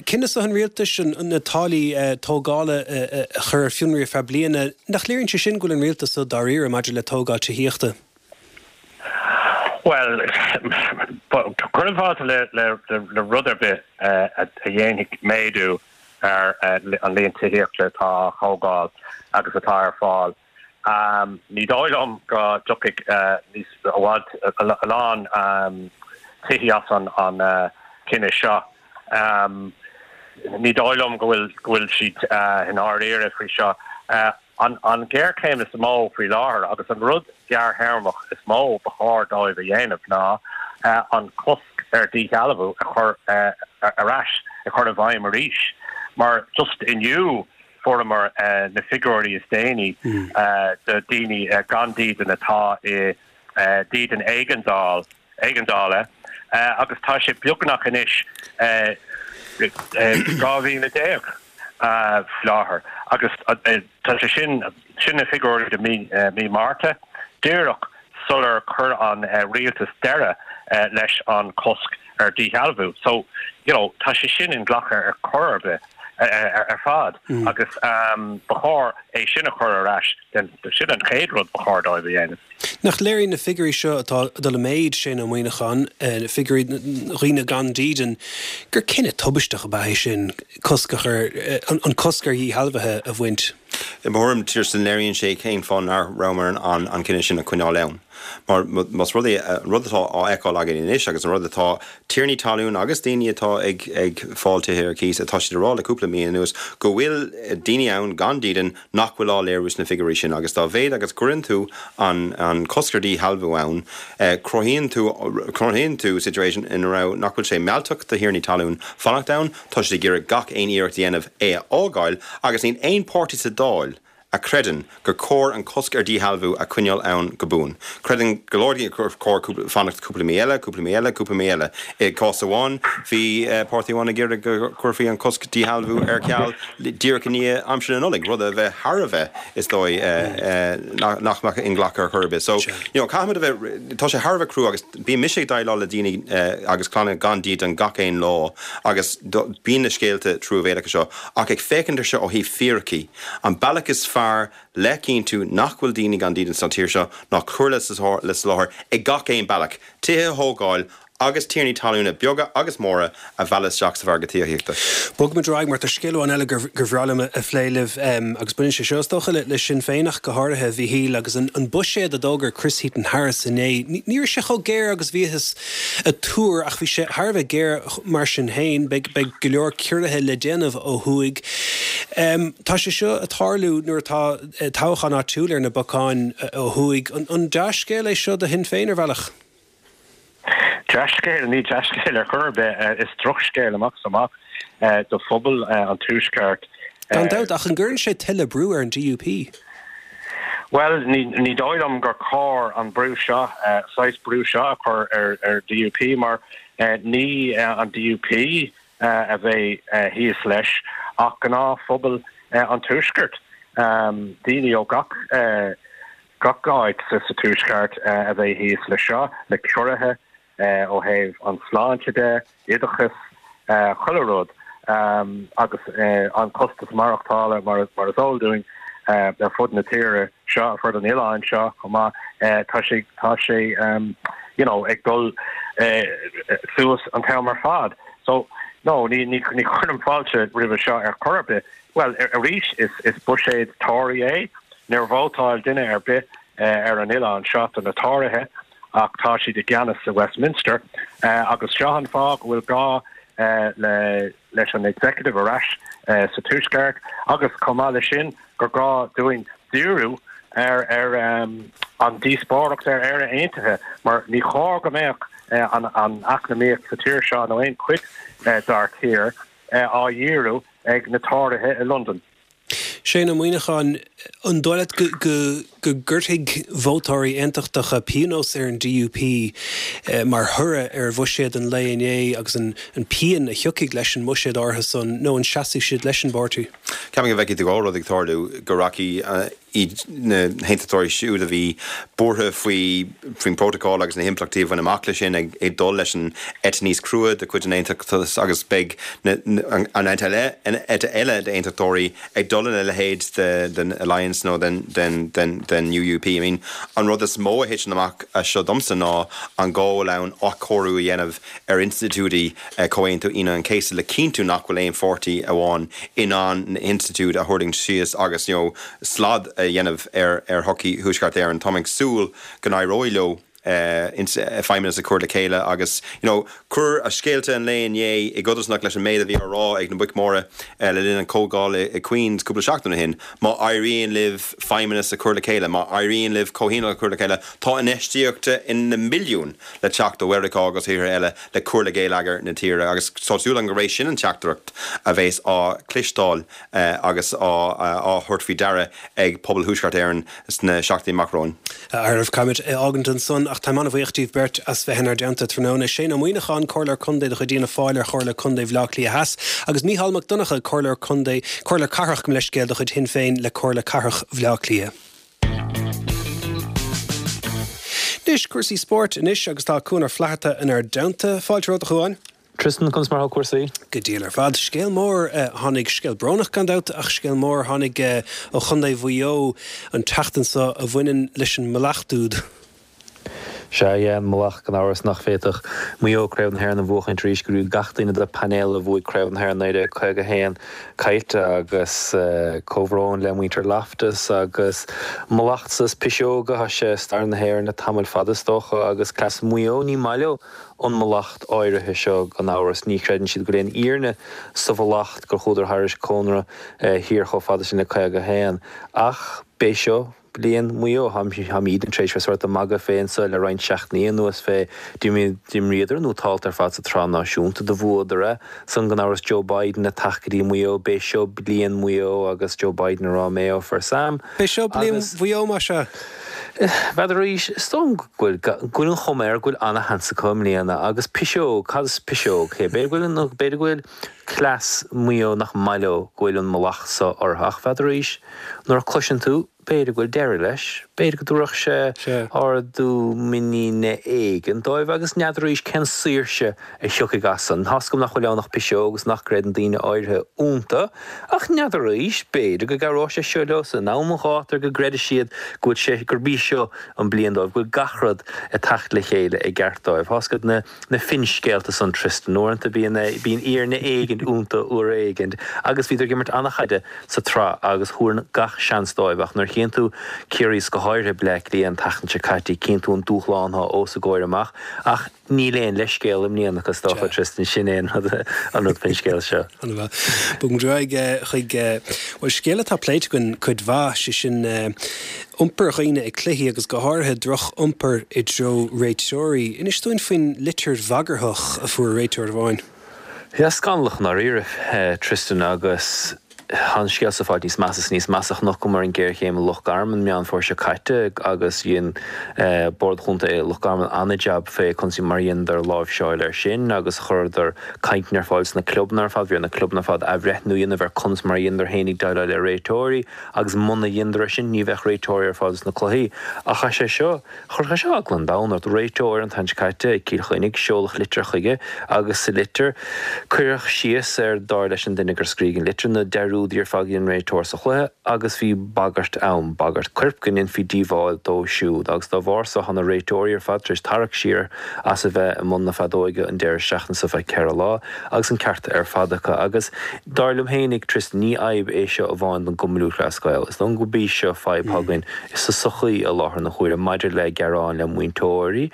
Cinneadh seo an rialtais na táillí tógála a chur ar fionraí ar feadh bliana, nach léiríonn sé sin go bhfuil an rialtas seo dáiríre maidir le tógáil tithíochta? Bhuel, cuirim fáilte le rud ar bith a dhéanfaidh méadú ar an líon tithíochta atá á thógáil agus atá ar fáil. Ní dóigh liom go dtiocfaidh níos i bhfad a lán tithí as an cinneadh seo. Ní dóigh liom go bhfuil go bhfuil siad i ndáiríre faoi seo. An ghéarchéim is mó faoi láthair agus an rud gearrthéarmach is mó ba chóir dóibh a dhéanamh ná an cosc ar dhíshealbhú a chur ar ais, a chur i bhfeidhm arís. Mar just inniu fuaireamar na figiúirí is déanaí do daoine gan dídean atá i dídean éigeandáil, éigeandála agus tá sé beagnach anois 12,000 faoi láthair agus tá sé sin, sin na figiúirí do mí, mí Márta, díreach sular chuir an rialtas deireadh leis an cosc ar dhíshealbhú. So, you know, tá sé sin inghlactha ar chor ar bith ar fad agus ba chóir é sin a chur ar ais, sin an chéad rud ba chóir dóibh a dhéanamh. Nach léiríonn na figiúirí seo atá ag dul i méid, Shane Ó Muíneacháin, figiúirí dhaoine gan dídean, gur cinneadh tubaisteach ab ea é sin cosc a chur, an cosc ar dhíshealbhuithe a bhaint? I mo thuairim, Tristan, léiríonn sé cén fáth nach rabhamar in ann an cinneadh sin a choinneáil ann. Mar más rud é, an rud atá á fheiceáil againn anois agus an rud atá tiarnaí talún agus daoine atá ag ag fáil tithe ar cíos, atá siad a rá le cúpla mí anuas go bhfuil daoine ann gan dídean nach bhfuil á léiriú sna figiúirí sin agus dá mhéad agus cuireann tú an an cosc ar dhíshealbhú ann, cruthaíonn tú cruthaíonn tú situation ina raibh nach bhfuil sé mealltach do thiarnaí talún fanacht ann, tá siad ag iarraidh gach aon iarracht a dhéanamh é a fhágáil agus níl aon páirtí sa Dáil a chreideann gur cóir an cosc ar dhíshealbhú a choinneáil ann go buan. Creideann go leor daoine gur chóir fanacht cúpla mí eile, cúpla mí eile, cúpla mí eile. I gcás amháin, bhí páirtí amháin ag iarraidh go gcuirfí an cosc díshealbhú ar ceal díreach i ndiaidh aimsir na Nollag, rud a bheadh thar a bheith, is dóigh, nach mbeadh inghlactha ar chor ar bith. So, you know, caithfimid a bheith, tá sé thar a bheith crua agus bíonn mise ag déileáil le daoine agus clanna gan dídean gach aon lá agus bíonn na scéalta truamhéalacha seo ach ag féachaint ar seo ó thaobh fíricí, An bealach is fearr le cinntiú nach bhfuil daoine gan dídean sa tír seo ná cur le soláthar ag gach aon bealach, tithe a thógáil agus tiarnaí talúna beaga agus móra a mhealladh isteach sa mhargadh tithíochta. Bogfaimid ar aghaidh mar tá scéal amháin eile gur bhreá liom a phlé libh agus baineann sé seo is dócha le Sinn Féin ach go háirithe, a Mhíchíl, agus an buiséad a d'fhógair Chris Heaton-Harris inné. Ní raibh sé chomh géar agus bhíothas ag tuar ach bhí sé thar a bheith géar mar sin féin. Beidh go leor ciorruithe le déanamh ó thuaidh. Tá sé seo ag tarlú nuair atá toghchán áitiúil ar na bacáin ó thuaidh. An dea-scéal é seo do Shinn Féin ar bhealach? Dea-scéal? Ní dea-scéal ar chor ar bith. Is drochscéal amach is amach do phobal an Tuaiscirt. Gan dabht, ach an gcuireann sé tuilleadh brú ar an DUP? Bhuel, ní dóigh liom gur chóir an brú seo, saghas brú seo a chur ar an DUP mar ní an DUP a bheidh thíos leis ach gnáthphobal an Tuaiscirt, daoine ó gach gach áit sa Tuaisceart a bheidh thíos leis seo, le ciorruithe ó thaobh an sláinte de, oideachas, chuile rud agus an costas maireachtála mar is eol dúinn ar fud na tíre seo, ar fud an oileáin seo chomh maith, tá sé, tá sé you know ag dul suas an t-am ar fad. So, no, ní, ní, ní chuirim fáilte roimhe seo ar chor ar bith. Bhuel, arís, is, is buiséad Tory é. Níor vótáil duine ar bith ar an oileán seo do na Tóraithe. ach tá siad i gceannas i Westminster agus seo an fáth go bhfuil gá le leis an Executive ar ais sa Tuaisceart agus chomh maith leis sin gur gá dúinn díriú ar ar an díospóireacht ar Éire Aontaithe mar ní chóir go mbeadh an an eacnamaíocht sa tír seo nó aon chuid dár tír á dhíriú ag na Tóraithe i Londain. Shane Ó Muíneacháin, an dóigh leat go go gcuirfidh vótóirí aontachtacha pionós ar an DUP mar thoradh ar bhuiséad an lae inné agus an pian a thiocfaidh leis an mbuiséad áirithe san nó an seasfaidh siad leis an bpáirtí? Ceapaim go bhfeicfidh tú dhá rud ag tarlú, go rachaidh iad na haontachtóirí siúd a bhí buartha faoi faoin bprótacál agus na himpleachtaí a bhain amach leis sin ag ag dul leis an eite níos crua de chuid an aontachtais agus beidh na an eite eile an eite eile d'aontachtóirí ag dul lena leithéid de den Alliance nó den den den den UUP. I mean an rud is mó a thiteann amach as seo domsa ná an gá a bhfuil ann athchóiriú a dhéanamh ar institiúidí Chomhaontú Aoine an Chéasta le cinntiú nach bhfuil aon pháirtí amháin in ann na hinstitiúid a thuirlingt síos agus you know slad a dhéanamh ar ar shochaí Thuaisceart Éireann. Táim ag súil go n-éireoidh leo feidhmeannas a chur le chéile agus you know cuir scéalta an lae inné i gcodarsnacht leis an méid a bhí á rá ag na boic mhóra le linn an chomhdháil i Queens cúpla seachtain ó shin. Má éiríonn libh feidhmeannas a chur le chéile, má éiríonn libh comhthionól a chur le chéile, tá infheistíocht na mbilliún le teacht ó Mheiriceá agus thíortha eile le cur le geilleagar na tíre agus tá súil agam gurb é sin an teachtaireacht a bheas á cloisteáil agus á thabhairt faoi deara ag pobal Thuaisceart Éireann sna seachtainí amach romhainn. A fhearaibh, caithfimid é fhágaint ansan ach táim an-bhuíoch díbh beirt as bheith inár dteannta tráthnóna. Shane Ó Muíneacháin, Comhairleoir Contae de chuid Fhianna Fáil ar Chomhairle Contae Bhaile Átha Cliath Theas agus Mícheál Mac Donncha, Comhairleoir Contae, Comhairleoir Cathrach, gabh mo leithscéal, de chuid Shinn Féin le Comhairle Cathrach Bhaile Átha Cliath. Anois, cúrsaí spóirt anois agus tá Cuan Ó Flatharta inár dteannta. Fáilte romhat, a Chuáin. Tristan, conas mar atá cúrsaí? Go diail ar fad. Scéal mór a tháinig, scéal brónach gan dabht, ach scéal mór a tháinig ó Chontae Mhaigh Eo an tseachtain seo a bhaineann leis an mbleacht úd. Sea, yeah, an mallacht gan amhras nach bhféadfadh Maigh Eo Craobh na hÉireann a bhuachaint arís go raibh gach duine de painéal a bhuaigh Craobh na hÉireann 1951 caillte agus comhbhrón le muintir Loftus agus mallacht is piseoga, tá sé i stair na hÉireann le tamall fada is dócha agus cleas Mhaigh Eo, ní maith leo an mallacht áirithe seo gan amhras, ní chreideann siad go bhfuil aon fhírinne sa mhallacht gur chuadar thairis cónra thiar chomh fada sin le 51 ach b'é seo Bliain Mhaigh Eo. Táimidne tar éis bheith sórt ag magadh fé anso le roinnt seachtainí anuas fé d'imríodar nótálta ar fad sa tsraith náisiúnta, do bhuadar é. San gan amhras Joe Biden ag teacht go dtí Maigh Eo, b'é seo bliain Mhaigh Eo agus Joe Biden ag rá Mayo for Sam. B'é seo bliain Mhaigh Eo más ea. N'fheadar arís, is dóigh liom go bhfuil, go bhfuil an chuma air go bhfuil ana-sheans acu i mbliana agus piseog, cad is piseog? B'fhéidir go bhfuil, b'fhéidir go bhfuil cleas Mhaigh Eo nach maith leo go bhfuil an mallacht so orthu ach n'fheadar arís, Nuair a chloiseann tú, b'fhéidir go bhfuil deireadh leis, b'fhéidir go dtabharfadh sé ardú muiníne éigin dóibh agus n'fheadar arís cén saoirse a thiocfaidh as san. Tá's agam nach bhfuil ann ach piseog agus nach gcreideann daoine áirithe iontu, ach n'fheadar arís, b'fhéidir go gcabhróidh sé seo leo san am an ghátair go gcreidfidh siad go bhfuil sé, gurb í seo an bliain dóibh, go bhfuil gach rud ag teacht le chéile i gceart dóibh. Tá's agat na. na finscéalta san Tristan. Uaireanta bíonn bíonn fírinne éigint iontu uair éigint agus bhíodar ag imirt an-chaide sa tsraith agus thabharfainn gach seans dóibh ach nuair a chíonn tú Ciarraí is go háirithe Bleá Cliath an tseachtain seo caite cíonn tú an dúshlán atá os a gcomhair amach ach níl aon leithscéal i mbliana acu is dócha Tristan sin é an rud an rud faoin scéal seo. An-mhaith. Bogfaidh muid ar aghaidh chuig bhuel scéal atá pléite againn cuid mhaith, sé sin Iompar dhaoine ag cluichí agus go háirithe droch-iompar i dtreo réiteoirí. Inis dúinn faoin litir bhagarthach a fuair réiteoir amháin. Yeah, scannalach i ndáiríre, Tristan, agus tá an scéal seo ag fáil níos measa is níos measa. Chonaiceamar an géarchéim i Loch Garman Meán Fómhair seo caite agus dhein Bord Chontae Loch Garman an-jab fé conas mar a dheineadar láimhseáil air sin agus chuireadar cainteanna ar fáil sna clubanna ar fad. Bhí ar na clubanna ar fad athbhreithniú a dhéanamh ar conas mar a dheineadar féinig déileáil le réiteoirí. Agus muna dheineadar é sin, ní bheadh réiteoirí ar fáil dos na cluichí. Ach tá sé seo, chuirfeadh sé seo eagla an domhain ort. Réiteoir an tseachtain seo caite ag Cill Chainnigh, seoladh litir chuige agus sa litir, cuireadh síos ar, dar leis an duine gur scrígh an litir, na dearúdaí ar fad a dhein an réiteoir sa chluiche agus bhí bagairt ann, bagairt coirp, go ndéanfaí díobháil dó siúd. Agus dá bharr so, tá na réiteoirí ar fad tar éis tarrac siar as a bheith i mbun na feadóige an deireadh seachtaine seo feadh ceithre lá. Agus an ceart ar fad acu. Agus dar liom fhéinig, Tristan, ní fhadhb é seo amháin don gCumann Lúthchleas Gael. Is dóigh gurb í seo fadhb atá againn sa sochaí i láthair na huaire maidir le gearáin le múinteoirí,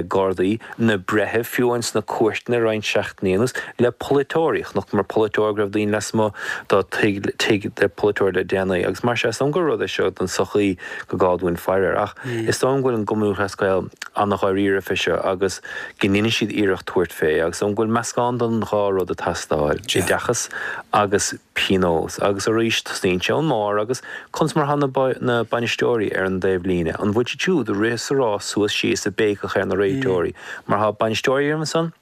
gardaí, na breithimh, fiú amháin sna cúirteanna roinnt seachtainí anuas, le polaiteoirí. Chonaiceamar polaiteoir go raibh daoine lasmuigh dá tigh tigh de pholaiteoir le déanaí. Agus mar sin, is dóigh gur rud é seo don sochaí go gá dúinn faire air. Ach is dóigh go bhfuil an gCumann Lúthchleas Gael an-dháiríre fé seo agus go ndéanfaidh siad iarracht tabhairt fé agus go bhfuil meascán den dhá rud ag teastáil, oideachas agus pionós. Agus arís, tosnaíonn sé ón mbarr agus conas mar atá na bainisteoirí ar an dtaobh líne? An bhfuil siad siúd ag rith is ag rá suas síos ag béiceach ar na réiteoirí? Mar tá bainisteoirí ansan,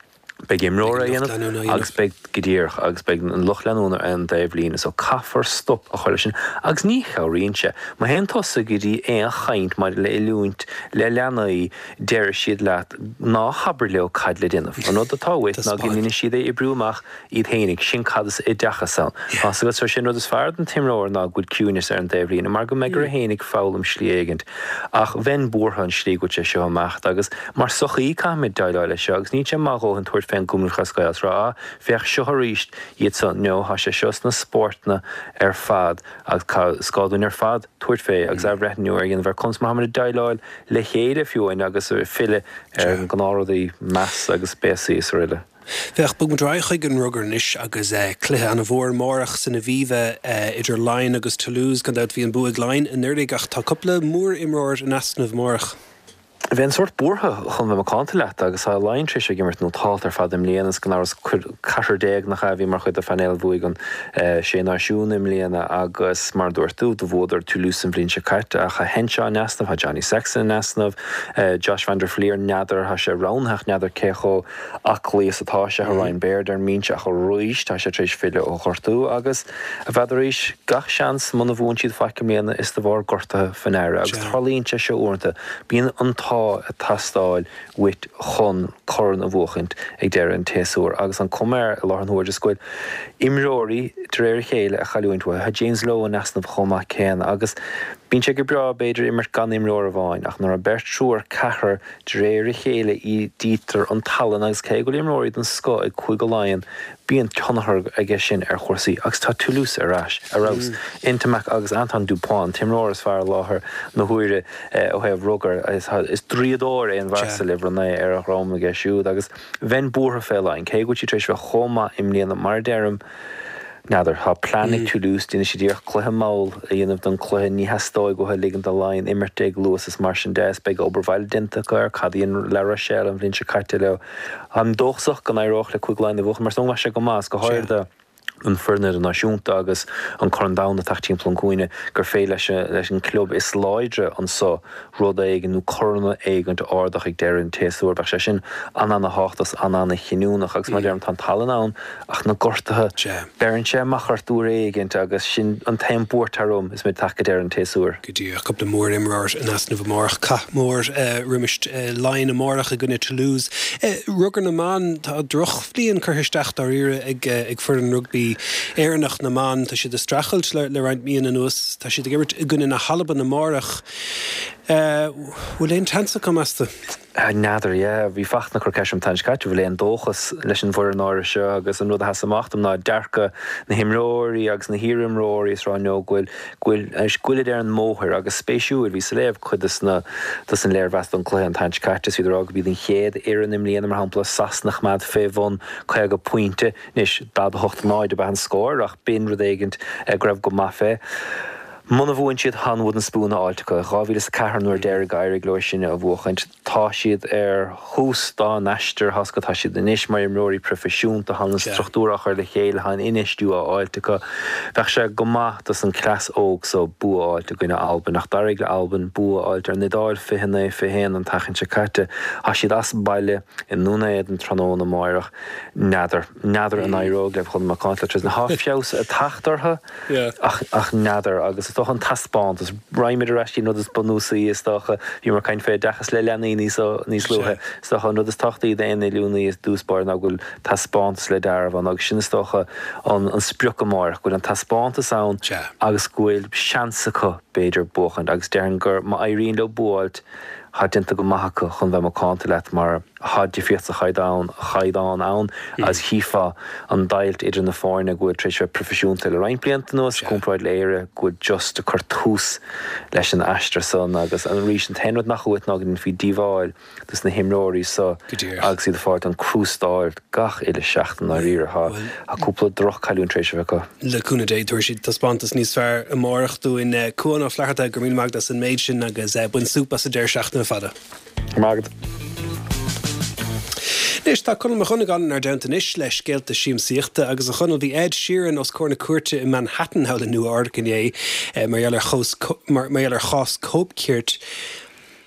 beidh imreoirí á dhéanamh agus beidh, go díreach, agus beidh an lucht leanúna ar an dtaobh líne so caithfear stop a chur leis sin agus ní chabhraíonn sé. Má théann tusa go dtí aon chaint maidir le oiliúint le leanaí, Déarfaidh siad leat, ná habair leo cad le déanamh. An rud atá uait ná go ndéanfaidh siad é oibriú amach iad fhéinig. Sin cad is oideachas ann. Tá's agat, so sin rud is fearr don t-imreoir ná go bhfuil ciúineas ar an dtaobh líne mar go mbeidh air fhéinig foghlaim slí éigint. Ach bheinn buartha an slí go bhfuil sé seo ag imeacht agus mar sochaí caithfimid déileáil leis seo agus níl sé maith a dhóthain tabhairt fén gCumann Lúthchleas Gael is rá ah féach seo arís iad so. No, tá sé seo sna spórtanna ar fad agus is gá dúinn ar fad tabhairt fé agus athbhreithniú ar dhéanamh ar conas mar táimid ag déileáil le chéile fiú amháin agus filleadh ar na gnáthrudaí, meas agus béasaí is aroile. Féach, bogfaidh muid ar aghaidh chuig an rugar anois agus cluiche an-mhór amárach san Aviva idir Laighin agus Toulouse. Gan dabht bhí an bua ag Laighin anuraidh ach tá cúpla mór-imreoir in easnamh amárach. Bheinn sórt buartha chun bheith macánta leat agus tá Laighin tar éis ag imirt nótálta ar fad i mbliana is gan amhras ceathrar nach ea a bhí mar chuid de phainéal a bhuaigh an Sé Náisiún i mbliana agus mar a dúirt tú, do bhuadar Toulouse an bhliain seo caite ach tá Henshaw in easnamh, tá Johnny Sexton in easnamh, Josh van der Flier n'fheadar, tá sé roghnaithe ach n'fheadar cé chomh aclaí is atá sé, tá Ryan Baird ar an mbinse ach arís tá sé tar éis filleadh ó ghortú agus n'fheadar arís, gach seans muna bhuann siad faic i mbliana is de bharr gortaithe faoi ndeara agus tarlaíonn sé seo uaireanta, bíonn an t-ádh ag teastáil uait chun corn a bhuachaint ag deireadh an tséasúir agus an cuma air i láthair na huaire is go bhfuil imreoirí de réir a chéile ag cailliúint uathu. Tá James Lowe in easnamh chomh maith céanna agus. Bíonn sé go breá, b'fhéidir, imirt gan imreoir amháin, ach nuair atá beirt, triúr, ceathrar, de réir a chéile ídítear an tallann agus cé go bhfuil imreoirí den scoth ag Cúige Laighean, bíonn tionchar aige sin ar chúrsaí. Agus tá Toulouse ar ais, ar fheabhas. Ntamack agus Antoine Dupont, an t-imreoir is fearr i láthair na huaire ó thaobh rugair. Is draíodóir é an fear so le uimhir 9 ar a dhroim aige siúd agus bheinn buartha fé Laighin, cé go bhfuil siad tar éis bheith chomh maith i mbliana, mar a deirim, N'fheadar. Tá plean ag Toulouse, déanfaidh siad iarracht cluiche mall a dhéanamh den chluiche, ní theastóidh uathu ligint do Laighin imirt ag luas is mar sin de, is beidh obair bhaile déanta acu ar cad a dhein La Rochelle an bhliain seo caite leo. Táim dóchasach go n-éireodh le Cúige Laighean a bhuachan mar is dóigh go mbeadh sé go maith, is go háirithe don foireann idirnáisiúnta agus an Corn Domhanda ag teacht timpeall an chúinne, gur féidir leis an club is láidre anso rud éigin nó corn éigint a ardach ag deireadh an tséasúir. Bheadh sé sin an-ana-thábhachtach is an-ana-chinniúnach agus mar a deirim tá an tallann ann ach na gortuithe, beireann sé amach ort uair éigint agus sin an t-aon buairt orm is muid ag teacht go deireadh an tséasúir. Go díreach, cúpla mór-imreoir in easnamh amárach. Cath mór roimis Laighin amárach i gcoinne Toulouse. Rugar na mban, tá drochbhliain curtha isteach dáiríre ag foireann rugbaí Éireannach na mban. Tá siad ag streachailt le roinnt míonna anuas. Tá siad ag imirt i gcoinne na hAlban amárach. Bhfuil aon tseans acu, meas tú? N'fheadar, yeah. Bhí Fachtna ag cur ceist orm an tseachtain seo caite, bhfuil aon dóchas leis an bhfoireann áirithe seo agus an rud a sheas amach dom ná dearcadh na himreoirí agus na hiarimreoirí is rá no go bhfuil, go bhfuil, go bhfuilid ar an mbóthar agus spéisiúil, bhíos ag léamh cuid dos na, dos an léirmheas don cluiche an tseachtain seo caite is iad ag rá go b'iad an chéad fhoireann i mbliana, mar shampla, Sasana a choimeád fé bhun 50 pointe. Anois, 48 0 ab ea an scór ach b'in rud éigint go raibh go maith fé. Muna bhuann siad, tá an wooden spoon á fháilt acu. 2004 an uair deiridh gur éirigh leo sin a bhuachaint. Tá siad ar thús dá n-aistear, tá's agat, tá siad anois mar imreoirí proifisiúnta, tá an struchtúr á chur le chéile, tá an infheistiú á fháilt acu. Bheadh sé go maith dos an cleas óg so bua a fháilt i gcoinne Albain ach d'éirigh le Albain bua a fháilt ar an Iodáil 29, 21 an tseachtain seo caite. Tá siad as baile i nDún Éideann tráthnóna amáireach. N'fheadar. N'fheadar an éireoidh leo chun macánta le Tristan. Tá feabhas ag teacht orthu ach ach n'fheadar agus is dócha an taispeántas. Raghaimid ar ais go dtí an rud is bunúsaí is dócha. Bhíomar ag caint fé oideachas le leanaí níos níos luaithe. Is dócha an rud is tábhachtaí d'aon oiliúnaí i dtús báire ná go bhfuil taispeántas le dealramh ann agus sin is dócha an an sprioc amárach, go bhfuil an taispeántas ann agus go bhfuil seans acu b'fhéidir buachaint agus déarfainn gur má éiríonn leo bua a fháilt tá déanta go maith acu chun bheith macánta leat mar Tá difríocht sa chaighdeán chaighdeán ann agus chífeá an deighilt idir na foirne go bhfuil tar éis bheith proifisiúnta le roinnt blianta anuas i gcomparáid le Éire go bhfuil just ag cur tús leis an aistear san agus arís an t-aon rud nach uait ná go ndéanfaí díobháil dos na himreoirí so agus iad ag fáilt an crústáil gach uile seachtain dáiríre. Tá cúpla droch-cailliúint tar éis a bheith acu. Le cúnamh Dé tabharfaidh siad taispeántas níos fearr amárach dúinn. Cuán Ó Flatharta, go raibh míle maith agat as an méid sin agus bain súp as an deireadh seachtaine fada. Maith agat. Anois, tá Conall Mac Dhonnagáin inár dteannta anois le scéalta siamsaíochta agus a Chonaill, bhí Ed Sheeran os comhair na cúirte i Manhattan thall i Nua Eabhrac inné mar gheall ar chós mar gheall ar chás cóipchirt.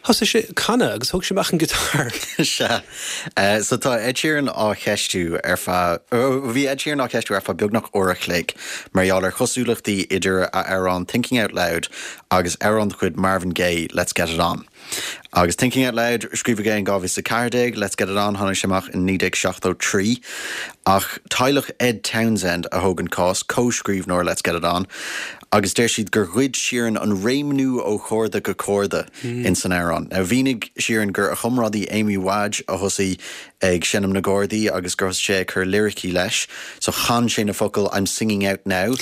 Thosaigh sé ag canadh agus thóg sé amach an guitar. Sea. So tá Ed Sheeran á cheistiú ar feadh, bhí Ed Sheeran á cheistiú ar feadh beagnach uair a chloig mar gheall ar chosúlachtaí idir a amhrán Thinking Out Loud agus amhrán de chuid Marvin Gaye, Let's Get It On. Agus Thinking Out Loud, scríobhadh é in 2014, Let's Get It On, tháinig sé amach in 1973. Ach teaghlach Ed Townsend a thóg an cás, comhscríbhneoir Let's Get It On, agus deir siad gur ghoid Sheeran an réimniú ó chorda go corda ins an amhrán. Now mhínigh Sheeran gur a chomrádaí Amy Wadge a thosaigh ag seinm na gcordaí agus gur thosaigh sé ag cur liricí leis. So chan sé na focail I'm singing out now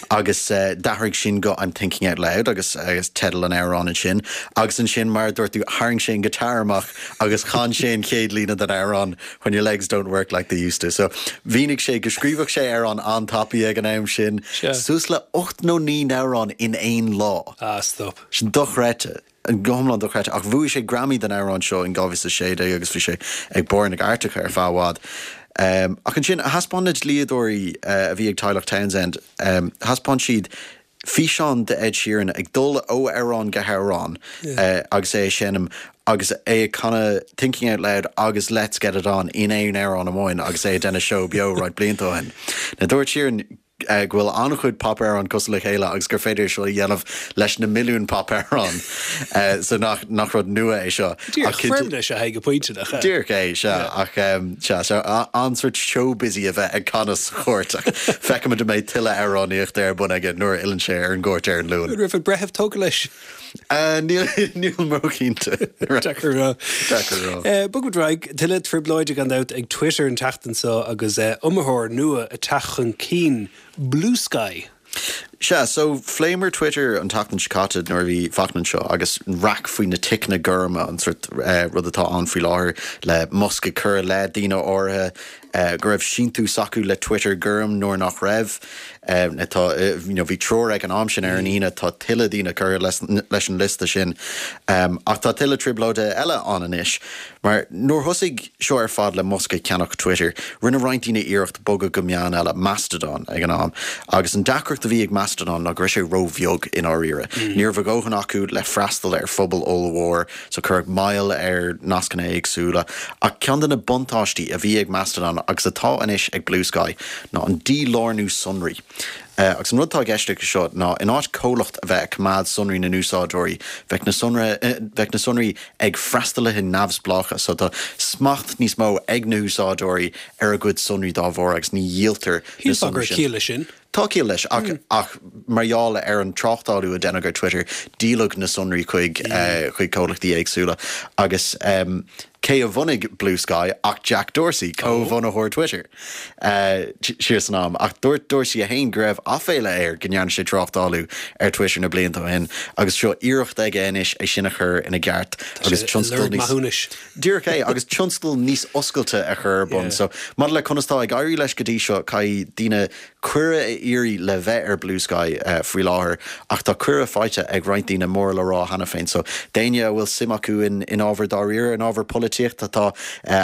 agus d'athraigh sin go I'm thinking out loud agus agus teideal an amhráin ansin. Agus ansin mar a dúirt tú tharraing sé an guitar amach agus chan sé an chéad líne den amhrán When your legs don't work like they used to. So mhínigh sé go scríobhadh sé amhráin an-tapaidh ag an am sin, suas le 8 nó 9 n-amhrán in aon lá. Ah stop. Sin dochreidte. Go hiomlán dochreidte. Ach bhuaigh sé Grammy don amhrán seo in 2016 agus bhí sé ag barr na gcairteacha ar feadh i bhfad. Ach ansin, thaispeáin na dlíodóirí a bhí ag teaghlach Townsend, thaispeáin siad físeán de Ed Sheeran ag dul ó amhrán go hamhrán agus é ag seinm agus é ag canadh Thinking Out Loud agus Let's Get It On in aon amhrán amháin agus é ag déanamh seó beo roinnt blianta ó shin. Now dúirt Sheeran. go bhfuil an-chuid popamhrán cosúil le chéile agus gur féidir é seo a dhéanamh leis na milliúin popamhrán. So nach, nach rud nua é seo. Díreach, foirmle is ea é go pointe, nach ea? Díreach é, sea. Ach sea, so an-sort showbizy a bheith ag canadh sa chúirt ach feicfimid an mbeidh tuilleadh amhránaíochta ar bun aige nuair a fhilleann sé ar an gcúirt ar an Luan. An raibh an breitheamh tógtha leis? Níl mé cinnte. Deacair a rá. Deacair a rá. Bogfaimid ar aghaidh. Tuilleadh trioblóide gan dabht ag Twitter an tseachtain seo agus iomaitheoir nua ag teacht chun cinn, Bluesky. Sea, so phléamar Twitter an tseachtain seo caite nuair a bhí Fachtna anseo agus an raic faoi na ticeanna gorma, an sort rud atá ann faoi láthair le Musk ag cur i leith daoine áirithe go raibh síntiús acu le Twitter gorm nuair nach raibh. Tá, you know, bhí triúr ag an am sin ar an Aoine, tá tuilleadh daoine curtha leis an liosta sin. Ach tá tuilleadh trioblóide eile ann anois, mar nuair thosaigh seo ar fad le Musk ag ceannach Twitter, rinne roinnt daoine iarracht bogadh go meán eile, Mastodon, ag an am. Agus an deacracht a bhí ag Mastodon ná go raibh sé ró-bheag i ndáiríre. Ní raibh a dhóthain acu le freastal ar phobal ollmhór. So cuireadh moill ar nascanna éagsúla. Ach ceann de na buntáistí a bhí ag Mastodon agus atá anois ag Bluesky ná an dílárnú sonraí. Agus an rud atá i gceist leis seo ná in áit comhlacht a bheith ag coimeád sonraí na n-úsáideoirí, bheadh na bheadh na sonraí ag freastalaithe neamhspleácha. So tá smacht níos mó ag na húsáideoirí ar a gcuid sonraí dá bharr agus ní dhíoltar na Shílfeá go sonraí raibh sin. ciall leis sin. Tá ciall leis, ach ach mar gheall ar an tráchtálú a deineadh ar Twitter, díoladh na sonraí chuig chuig comhlachtaí éagsúla. Agus cé a bhunaigh Bluesky ach Jack Dorsey, comhbhunaitheoir Twitter, siar san am. Ach dúirt Dorsey é féin go raibh aiféala air go ndearna sé tráchtálú ar Twitter na blianta ó shin, agus seo iarracht aige anois é sin a chur ina gceart agus tionscal níos. Díreach é, agus tionscal níos oscailte a chur ar bun. So, maidir le conas tá ag éirí leis go dtí seo, caithfidh daoine cuireadh a iarraidh le bheith ar Bluesky faoi láthair, ach tá cuireadh faighte ag roinnt daoine móra le rá cheana féin. So, d'éinne a bhfuil suim acu in ábhar dáiríre, in ábhar polaitíochta, tá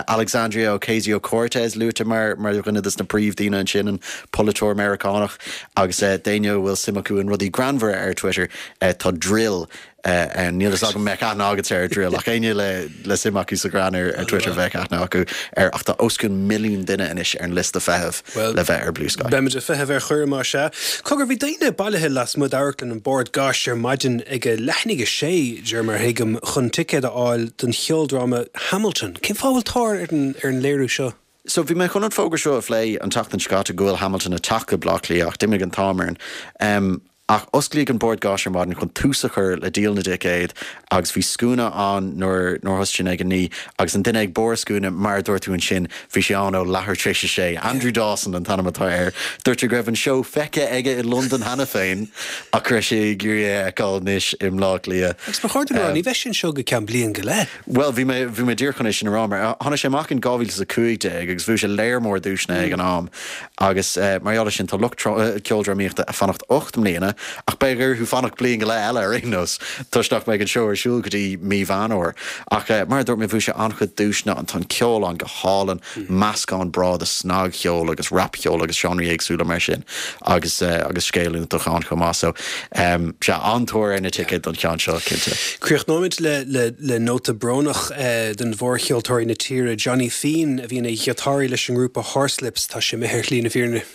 Alexandria Ocasio-Cortez luaite mar mar dhuine des na príomhdhaoine ansin, an polaiteoir Meiriceánach, agus d'éinne a bhfuil suim acu in rudaí greannmhara ar Twitter, tá Dril Níl fhios agam an mbeadh aithne agatsa ar Dril, ach éinne le suim acu sa ghreann ar Twitter bheadh aithne acu air. Ach tá os cionn milliún duine anois ar an liosta feithimh le bheith ar Bluesky. Beimid ag feitheamh ar chuireadh más ea. Cogar, bhí daoine bailithe lasmuigh d'Amharclann an Bord Gáis ar maidin ag a leath i ndiaidh a sé, de réir mar a thuigim, chun ticéad a fháil don cheoldráma Hamilton. Cén fáth a bhfuil tóir ar an léiriú seo? So bhí mé chun an fógra seo a phlé an tseachtain seo caite go bhfuil Hamilton ag teacht go Bleá Cliath ach d'imigh an t-am orainn. Ach osclaíodh an Bord Gáis ar maidin chun tús a chur le díol na dticéad agus bhí scuaine ann nuair nuair thosaigh sin ag a 9 agus an duine ag barr scuaine, mar a dúirt tú ansin, bhí sé ann ó leathuair tar éis a sé. Andrew Dawson an t-ainm atá air. Dúirt sé go raibh an seó feicthe aige i Londain cheana féin ach go raibh sé ag iarraidh é a fheiceáil anois i mBleá Cliath. Agus ba chóir dom a rá, ní bheidh sé anseo go ceann bliain go leith. Bhuel, bhí mé, bhí mé díreach chun é sin a rá, mar tháinig sé amach in 2015 agus bhuaigh sé léar mór duaiseanna ag an am agus mar gheall air sin tá lucht ceoldrámaíochta ag fanacht 8 mbliana ach beidh orthu fanacht bliain go leith eile ar aon nós toisc nach mbeidh an seó ar siúl go dtí mí Mheán Fhómhair. Ach mar a dúirt mé, bhuaigh sé an-chuid duaiseanna, an tá an ceol ann go hálainn, meascán breá de snagcheol agus rapcheol agus seánraí éagsúla mar sin agus agus scéal iontach ann chomh maith. So, sea, an-tóir ar na ticéid don cheann seo, cinnte. Críochnóimid le le le nóta brónach de mhórcheoltóirí na tíre, Johnny Fean, a bhí ina ghiotáraí leis an ngrúpa Horslips, tá sé imithe ar shlí na fírinne.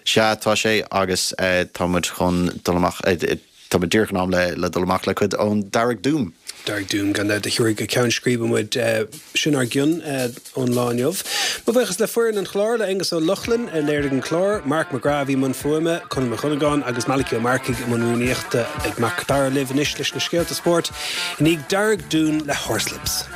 Sea, tá sé agus tá muid chun dul amach. Tá muid díreach in am le dul amach le cuid ón Darragh Doom. Darragh Doom, gan dabht, a thabharfaidh go ceann scríbe muid. Sin ár gcion ón lá inniu. Mo bhuíochas le foireann an chláir, le Aonghus Ó Lochlainn a léirigh an clár, Mark McGrath a bhí i mbun fuaime, Conall Mac Dhonnagáin agus Malachy Ó Marcaigh i mbun rúnaíochta. Beidh Mac Dara libh anois leis na scéalta spóirt i ndiaidh Darragh Doom le Horslips.